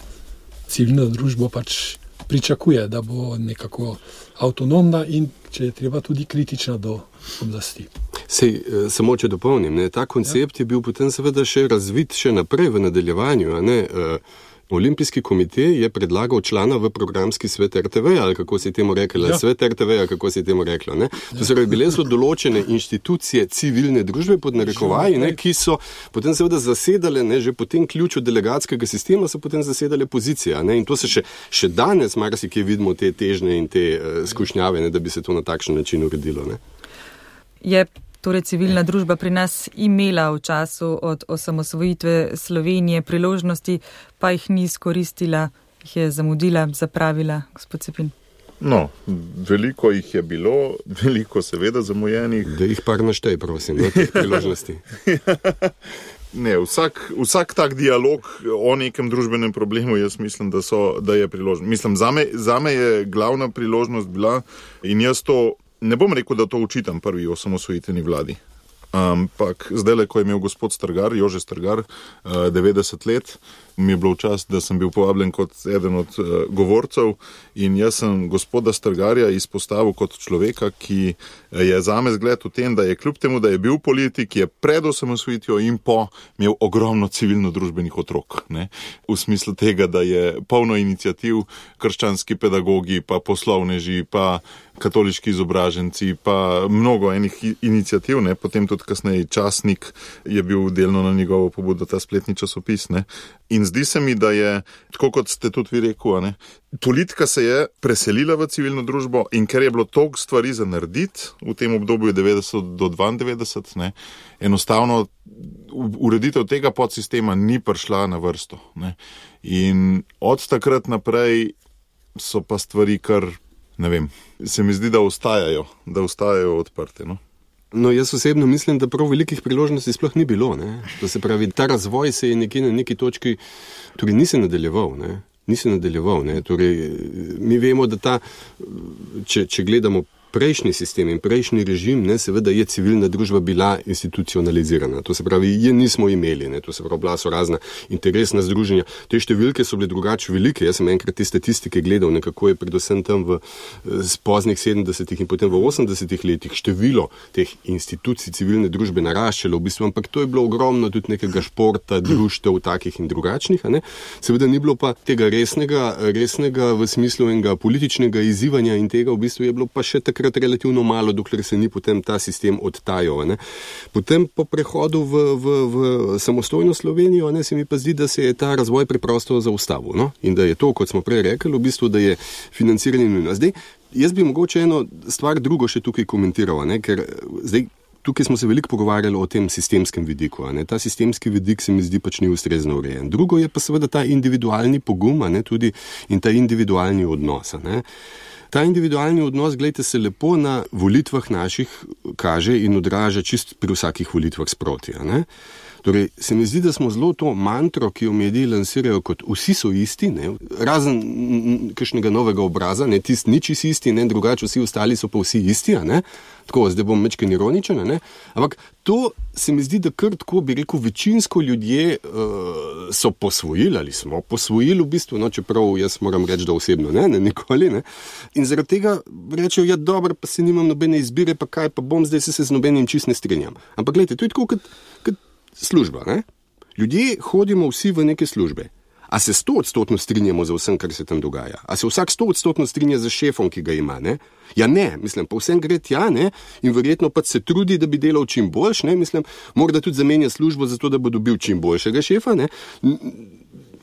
[SPEAKER 1] civilno družbo pač pričakuje, da bo nekako avtonomna in, če je treba, tudi kritična do oblasti.
[SPEAKER 3] Sej, samo če dopolnim, ta koncept je bil potem seveda še razvit še naprej v nadaljevanju, Olimpijski komitej je predlagal člana v programski svet RTV, ali kako se je temu rekla, svet RTV, ali kako se je temu rekla. To se bile so določene inštitucije civilne družbe pod narekovaji, ki so potem seveda zasedale, že po tem ključu delegatskega sistema so potem zasedale pozicije. In to se še danes marsikje vidimo te težnje in te skušnjave, da bi se to na takšen način uredilo.
[SPEAKER 2] Je torej civilna družba pri nas imela v času od osamosvojitve Slovenije priložnosti, pa jih ni izkoristila, jih je zamudila, zapravila, gospod Cepin?
[SPEAKER 5] No, veliko jih je bilo, veliko seveda zamujenih.
[SPEAKER 3] Da jih par naštej, prosim, teh priložnosti.
[SPEAKER 5] Ne, vsak tak dialog o nekem družbenem problemu, jaz mislim, da je priložnost. Mislim, zame je glavna priložnost bila in jaz to ne bom rekel, da to učitam prvi osamosvojitveni vladi. Ampak zdaj, ko je imel gospod Strgar, Jože Strgar, 90 let, mi je bilo čas, da sem bil povabljen kot eden od govorcev in jaz sem gospoda Strgarja izpostavil kot človeka, ki je zame zgled v tem, da je kljub temu, da je bil politik, je pred osamosvojitvijo in po imel ogromno civilno-družbenih otrok. V smislu tega, da je polno iniciativ, krščanski pedagogi, pa poslovneži, pa katoliški izobraženci, pa mnogo enih iniciativ, potem tudi kasneje časnik je bil delno na njegovo pobudo, ta spletni časopis. In zdi se mi, da je, tako kot ste tudi vi rekel, politika se je preselila v civilno družbo in ker je bilo toliko stvari za narediti v tem obdobju 90 do 92, enostavno ureditev tega podsistema ni prišla na vrsto. In od takrat naprej so pa stvari kar, ne vem, se mi zdi, da ostajajo odprte.
[SPEAKER 3] No, jaz osebno mislim, da prav velikih priložnosti sploh ni bilo. To se pravi, ta razvoj se je nekje na neki točki, torej ni se nadaljeval. Torej, mi vemo, da če gledamo prejšnji sistem in prejšnji režim, seveda je civilna družba bila institucionalizirana. To se pravi, je nismo imeli. To se pravi, bila so razna interesna združenja. Te številke so bile drugače velike. Jaz sem enkrat te statistike gledal, nekako je predvsem tam v poznih 70-ih in potem v 80-ih letih število teh institucij civilne družbe naraščalo v bistvu, ampak to je bilo ogromno tudi nekega športa, društev takih in drugačnih. Seveda ni bilo pa tega resnega v smislu enega političnega izzivanja in tega v bistvu je bilo pa še takrat relativno malo, dokler se ni potem ta sistem odtajal. Potem po prehodu v samostojno Slovenijo se mi pa zdi, da se je ta razvoj preprosto zaustavil. In da je to, kot smo prej rekli, v bistvu, da je financiranje nujno. Zdaj, jaz bi mogoče eno stvar drugo še tukaj komentiral, ker zdaj tukaj smo se veliko pogovarjali o tem sistemskem vidiku. Ta sistemski vidik se mi zdi pač ni ustrezno urejen. Drugo je pa seveda ta individualni pogum, tudi in ta individualni odnos. Ta individualni odnos, gledajte, se lepo na volitvah naših kaže in odraža čist pri vsakih volitvah sproti. Torej, se mi zdi, da smo zelo to mantro, ki jo mediji lansirajo kot vsi so isti, razen kakšnega novega obraza, tisti nič isti, drugače vsi ostali so pa vsi isti, tako, zdaj bom mečken ironičen, ampak to se mi zdi, da kar tako bi rekel, večinsko ljudje so posvojili ali smo posvojili v bistvu, čeprav jaz moram reči, da osebno nikoli, in zaradi tega rečejo, ja dobro, pa se nimam nobene izbire, pa kaj, pa bom zdaj se z nobenim čist ne strinjam. Ampak gledajte, to je tako kot služba. Ljudje hodimo vsi v neke službe. A se 100% strinjamo za vsem, kar se tam dogaja? A se vsak 100% strinja za šefom, ki ga ima? Ja ne, mislim, pa vsem gre tja, in verjetno pa se trudi, da bi delal čim boljš, mislim, morda tudi zamenja službo zato, da bo dobil čim boljšega šefa,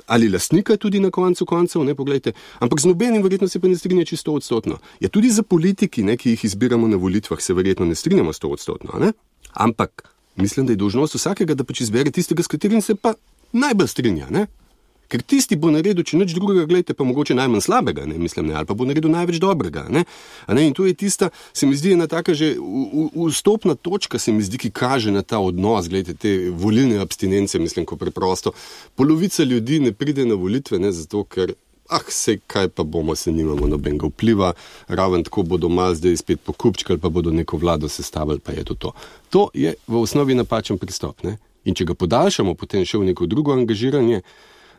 [SPEAKER 3] ali lastnika tudi na koncu koncev, poglejte, ampak z nobenim verjetno se pa ne strinja čisto 100%. Ja, tudi za politiki, ki jih izbiramo na volitvah, se verjetno ne strinjamo 100%, ampak mislim, da je dolžnost vsakega, da pač izbere tistega, s katerim se pa najbolj strinja, Ker tisti bo naredil, če nič drugega, gledajte, pa mogoče najmanj slabega, ali pa bo naredil največ dobrega, In to je tista, se mi zdi, ena taka že vstopna točka, se mi zdi, ki kaže na ta odnos, gledajte, te volilne abstinence, mislim, ko preprosto polovica ljudi ne pride na volitve, zato ker sej kaj pa bomo, se nimamo nobenega vpliva, raven tako bodo malo zdaj spet pokupčkali, pa bodo neko vlado sestavili, pa je to. To je v osnovi napačen pristop, ne? In če ga podaljšamo, potem še v neko drugo angažiranje,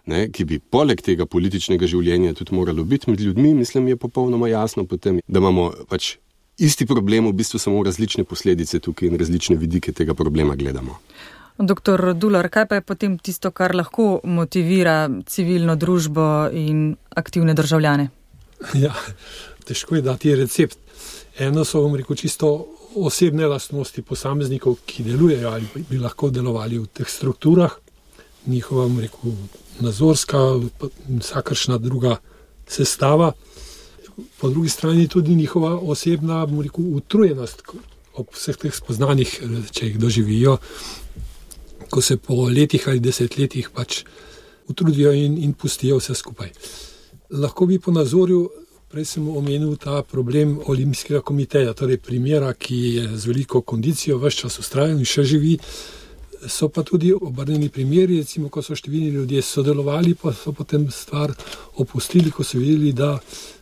[SPEAKER 3] ne, ki bi poleg tega političnega življenja tudi moralo biti med ljudmi, mislim, je popolnoma jasno potem, da imamo pač isti problem, v bistvu samo različne posledice tukaj in različne vidike tega problema gledamo.
[SPEAKER 2] Doktor Dular, kaj pa je potem tisto, kar lahko motivira civilno družbo in aktivne državljane?
[SPEAKER 1] Ja, težko je dati recept. Eno so, bom rekel, čisto osebne lastnosti posameznikov, ki delujejo ali bi lahko delovali v teh strukturah, njihova, bom rekel, nazorska, vsakršna druga sestava. Po drugi strani tudi njihova osebna, bom rekel, utrujenost ob vseh teh spoznanjih, če jih doživijo, ko se po letih ali desetletjih pač utrudijo in pustijo vse skupaj. Lahko bi ponazoril, prej sem omenil ta problem Olimpijskega komiteja, torej primera, ki je z veliko kondicijo ves čas vztrajal in še živi. So pa tudi obrnjeni primeri, recimo, ko so številni ljudje sodelovali, pa so potem stvar opustili, ko so videli, da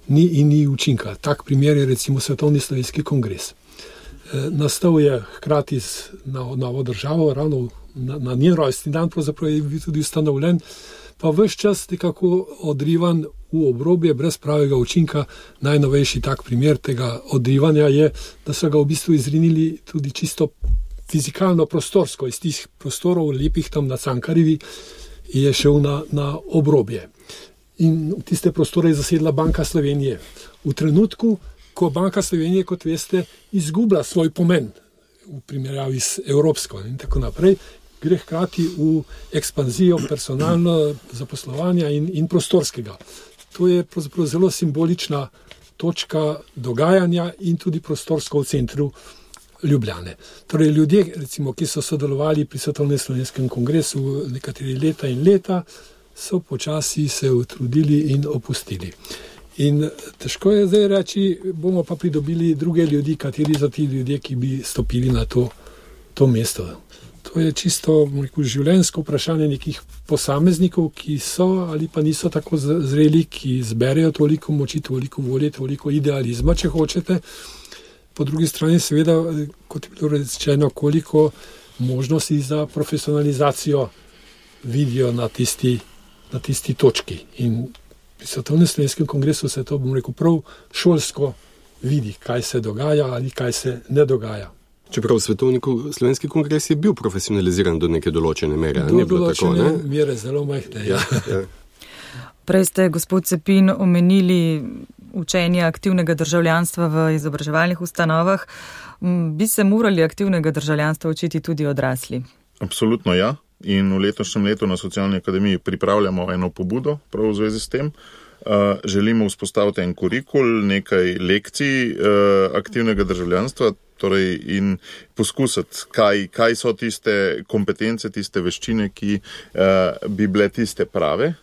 [SPEAKER 1] ni učinka. Tak primer je recimo Svetovni slovenski kongres. Nastal je hkrati z novo državo, ravno na njen rojstni dan, pravzaprav je bil tudi ustanovljen, pa ves čas nekako odrivan v obrobje, brez pravega učinka. Najnovejši tak primer tega odrivanja je, da so ga v bistvu izrinili tudi čisto fizikalno prostorsko, iz tih prostorov lepih tam na Cankarjevi je šel na obrobje. In tiste prostore je zasedla Banka Slovenije. V trenutku, ko Banka Slovenije, kot veste, izgublja svoj pomen v primerjavi s evropsko in tako naprej, gre hkrati v ekspanzijo personalno zaposlovanja in prostorskega. To je pravzaprav zelo simbolična točka dogajanja in tudi prostorsko v centru Ljubljane. Torej ljudje, recimo, ki so sodelovali pri Svetovnem slovenskem kongresu nekateri leta in leta, so počasi se utrudili in opustili. In težko je zdaj reči, bomo pa pridobili druge ljudi, kateri so ti ljudje, ki bi stopili na to mesto. To je čisto, rekel, življenjsko vprašanje nekih posameznikov, ki so ali pa niso tako zreli, ki zberejo toliko moči, toliko volje, toliko idealizma, če hočete. Po drugi strani seveda, kot je bilo rečeno, koliko možnosti za profesionalizacijo vidijo na tisti točki. In pri Svetovnem slovenskem kongresu se to, bom rekel, prav šolsko vidi, kaj se dogaja ali kaj se ne dogaja.
[SPEAKER 3] Čeprav Svetovni slovenski kongres je bil profesionaliziran do neke določene mere.
[SPEAKER 1] Do določene mere, zelo majhne. Ja.
[SPEAKER 2] Prej ste, gospod Cepin, omenili učenje aktivnega državljanstva v izobraževalnih ustanovah. Bi se morali aktivnega državljanstva učiti tudi odrasli?
[SPEAKER 5] Absolutno ja. In v letošnjem letu na Socialni akademiji pripravljamo eno pobudo prav v zvezi s tem. Želimo vzpostaviti en kurikul, nekaj lekcij aktivnega državljanstva, torej in poskusiti, kaj so tiste kompetence, tiste veščine, ki bi bile tiste prave.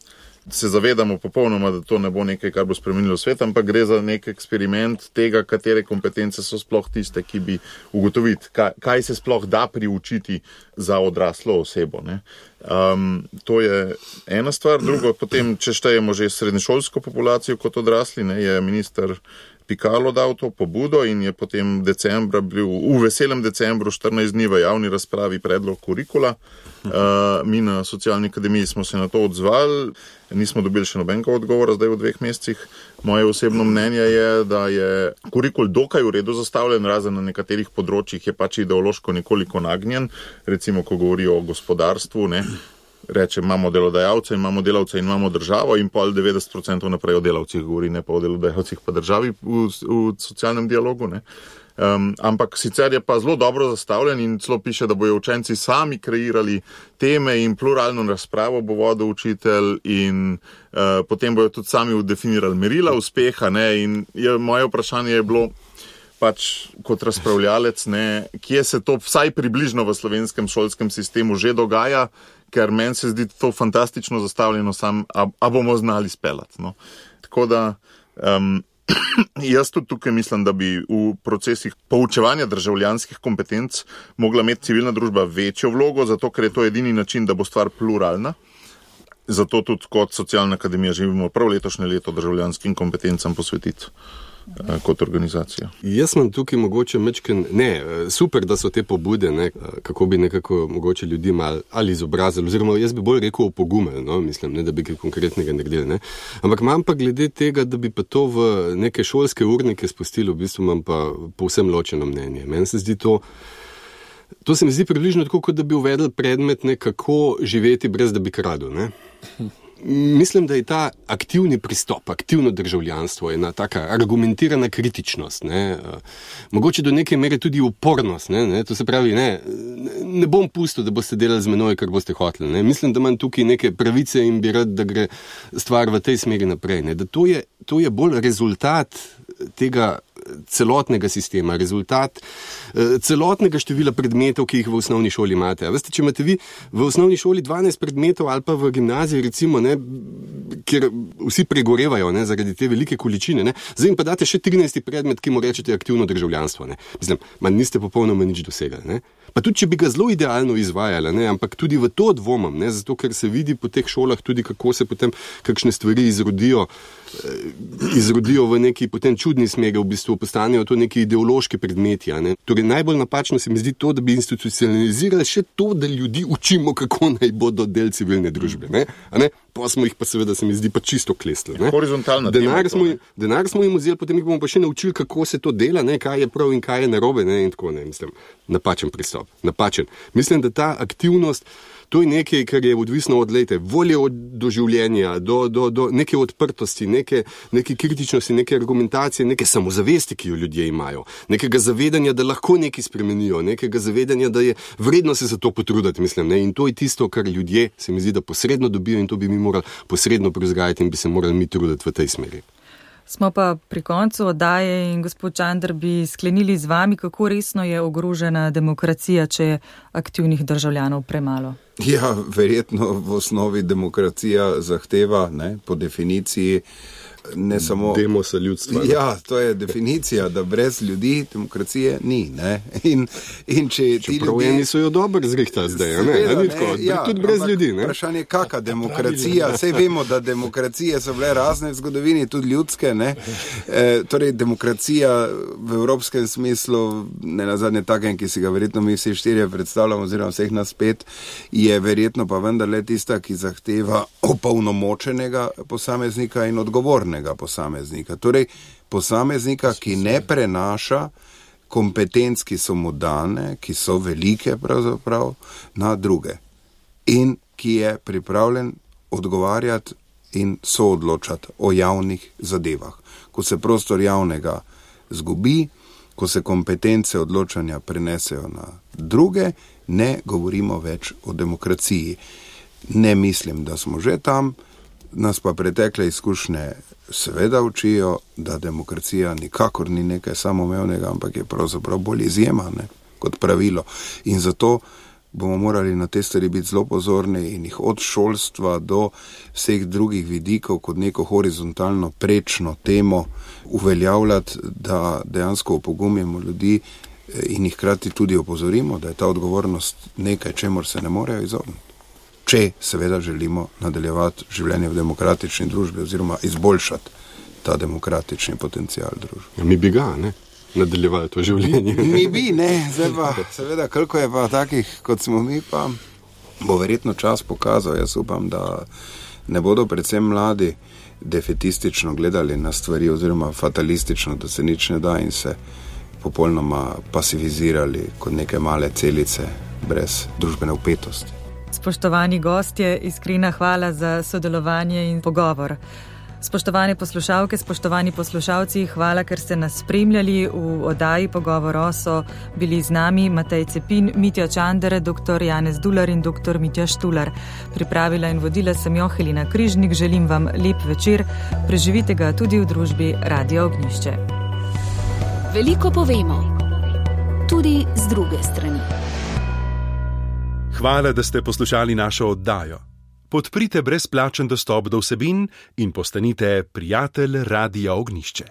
[SPEAKER 5] Se zavedamo popolnoma, da to ne bo nekaj, kar bo spremenilo svet, ampak gre za nek eksperiment tega, katere kompetence so sploh tiste, ki bi ugotoviti, kaj se sploh da priučiti za odraslo osebo. Ne? To je ena stvar. Drugo, potem, če štejemo že srednješolsko populacijo kot odrasli, ne, je minister Pikalo dal to pobudo in je potem decembra bil v veselem decembru 14 dni v javni razpravi predlog kurikula. Mi na Socialni akademiji smo se na to odzvali, nismo dobili še nobenega odgovora zdaj v 2 mesecih. Moje osebno mnenje je, da je kurikul dokaj v redu zastavljen, razen na nekaterih področjih je pač ideološko nekoliko nagnjen, recimo ko govori o gospodarstvu, ne. Reče, imamo delodajalce, imamo delavce in imamo državo in pol 90% naprej o delavcih govori, ne pa o delodajalcih pa državi v socialnem dialogu. Ne. Ampak sicer je pa zelo dobro zastavljen in celo piše, da bojo učenci sami kreirali teme in pluralno razpravo bo vodil učitelj in potem bojo tudi sami definirali merila uspeha. Ne. In moje vprašanje je bilo pač kot razpravljalec, ne, kje se to vsaj približno v slovenskem šolskem sistemu že dogaja, ker meni se zdi to fantastično zastavljeno, a bomo znali speljati. No. Tako da jaz tudi tukaj mislim, da bi v procesih poučevanja državljanskih kompetenc mogla imeti civilna družba večjo vlogo, zato ker je to edini način, da bo stvar pluralna. Zato tudi kot Socialna akademija želimo prav letošnje leto državljanskim kompetencam posvetiti kot organizacija.
[SPEAKER 3] Jaz imam tukaj mogoče super, da so te pobude, ne, kako bi nekako mogoče ljudi malo ali izobrazili, oziroma jaz bi bolj rekel opogumili, no, mislim, ne, da bi kaj konkretnega naredili, ne. Ampak imam pa glede tega, da bi pa to v neke šolske urnike spustili, v bistvu imam pa povsem ločeno mnenje. Meni se zdi to se mi zdi približno tako, kot da bi uvedli predmet, ne, kako živeti brez da bi kradel, ne. Mislim, da je ta aktivni pristop, aktivno državljanstvo, ena taka argumentirana kritičnost, ne, mogoče do neke mere tudi upornost, ne, to se pravi, ne bom pustil, da boste delali z menoj, kar boste hoteli, ne, mislim, da imam tukaj neke pravice in bi rad, da gre stvar v tej smeri naprej, ne, da to je bolj rezultat tega celotnega sistema, rezultat celotnega števila predmetov, ki jih v osnovni šoli imate. A veste, če imate vi v osnovni šoli 12 predmetov ali pa v gimnaziji, recimo, ne, kjer vsi pregorevajo, ne, zaradi te velike količine, ne, zdaj jim pa date še 13. predmet, ki mu rečete aktivno državljanstvo, ne. Mislim, niste popolnoma nič dosegali, ne. Pa tudi, če bi ga zelo idealno izvajali, ne, ampak tudi v to dvomam, ne, zato ker se vidi po teh šolah tudi, kako se potem kakšne stvari izrodijo v neki potem čudni smeri, v bistvu postanejo to neki ideološki predmeti, ne. Torej, najbolj napačno se mi zdi to, da bi institucionalizirali še to, da ljudi učimo, kako naj bodo del civilne družbe, ne. A ne? Pa smo jih pa seveda, se mi zdi, pa čisto klestili.
[SPEAKER 5] Horizontalna
[SPEAKER 3] denar smo jim vzeli, potem jih bomo pa še naučili, kako se to dela, ne, kaj je prav in kaj je narobe, ne, in tako, ne, mislim, napačen pristop, napačen. Mislim, da ta aktivnost, to je nekaj, kar je odvisno od volje do življenja, do neke odprtosti, neke kritičnosti, neke argumentacije, neke samozavesti, ki jo ljudje imajo, nekega zavedanja, da lahko nekaj spremenijo, nekega zavedanja, da je vredno se za to potruditi, mislim, ne, in to je tisto, kar ljudje, se mi zdi, da posredno dobijo, in to bi mi morali posredno prevzgajati in bi se morali mi truditi v tej smeri.
[SPEAKER 2] Smo pa pri koncu oddaje in gospod Čander bi sklenili z vami, kako resno je ogrožena demokracija, če je aktivnih državljanov premalo.
[SPEAKER 4] Ja, verjetno v osnovi demokracija zahteva, ne, po definiciji, ne samo
[SPEAKER 3] demosa ljudstva.
[SPEAKER 4] Ja, to je definicija, da brez ljudi demokracije ni, ne. In če ti ljudje
[SPEAKER 3] eni so jo dobro zrihtali zdaj, tudi brez ljudi, ne.
[SPEAKER 4] Vprašanje, kakšna demokracija, saj vemo, da demokracije so bile razne v zgodovini, tudi ljudske, ne. Torej, demokracija v evropskem smislu, ne nazadnje takem, ki si ga verjetno mi vsi štirje predstavljamo, oziroma vseh nas 5, je verjetno pa vendarle tista, ki zahteva opolnomočenega posameznika in odgovornega posameznika. Torej, posameznika, ki ne prenaša kompetenc, ki so mu dane, ki so velike pravzaprav, na druge. In ki je pripravljen odgovarjati in soodločati o javnih zadevah. Ko se prostor javnega zgubi, ko se kompetence odločanja prenesejo na druge, ne govorimo več o demokraciji. Ne mislim, da smo že tam, nas pa pretekle izkušnje seveda učijo, da demokracija nikakor ni nekaj samoumevnega, ampak je pravzaprav bolj izjema, ne, kot pravilo. In zato bomo morali na te stvari biti zelo pozorni in jih od šolstva do vseh drugih vidikov kot neko horizontalno prečno temo uveljavljati, da dejansko opogumimo ljudi in jih hkrati tudi opozorimo, da je ta odgovornost nekaj, čemur se ne morejo izogniti. Če seveda želimo nadaljevati življenje v demokratični družbi oziroma izboljšati ta demokratični potencial družbe.
[SPEAKER 3] Mi bi ga, ne? Nadaljevali to življenje.
[SPEAKER 4] Mi bi, ne. Zdaj pa, seveda, koliko je pa takih, kot smo mi, pa bo verjetno čas pokazal. Jaz upam, da ne bodo predvsem mladi defetistično gledali na stvari oziroma fatalistično, da se nič ne da in se popolnoma pasivizirali kot neke male celice brez družbene vpetosti.
[SPEAKER 2] Spoštovani gostje, iskrena hvala za sodelovanje in pogovor. Spoštovane poslušalke, spoštovani poslušalci, hvala, ker ste nas spremljali. V oddaji Pogovor so bili z nami Matej Cepin, Mitja Čander, dr. Janez Dular in dr. Mitja Štular. Pripravila in vodila sem jo Helena Križnik. Želim vam lep večer. Preživite ga tudi v družbi Radia Ognjišče.
[SPEAKER 6] Veliko povemo, tudi z druge strani.
[SPEAKER 7] Hvala, da ste poslušali našo oddajo. Podprite brezplačen dostop do vsebin in postanite prijatelj Radia Ognjišče.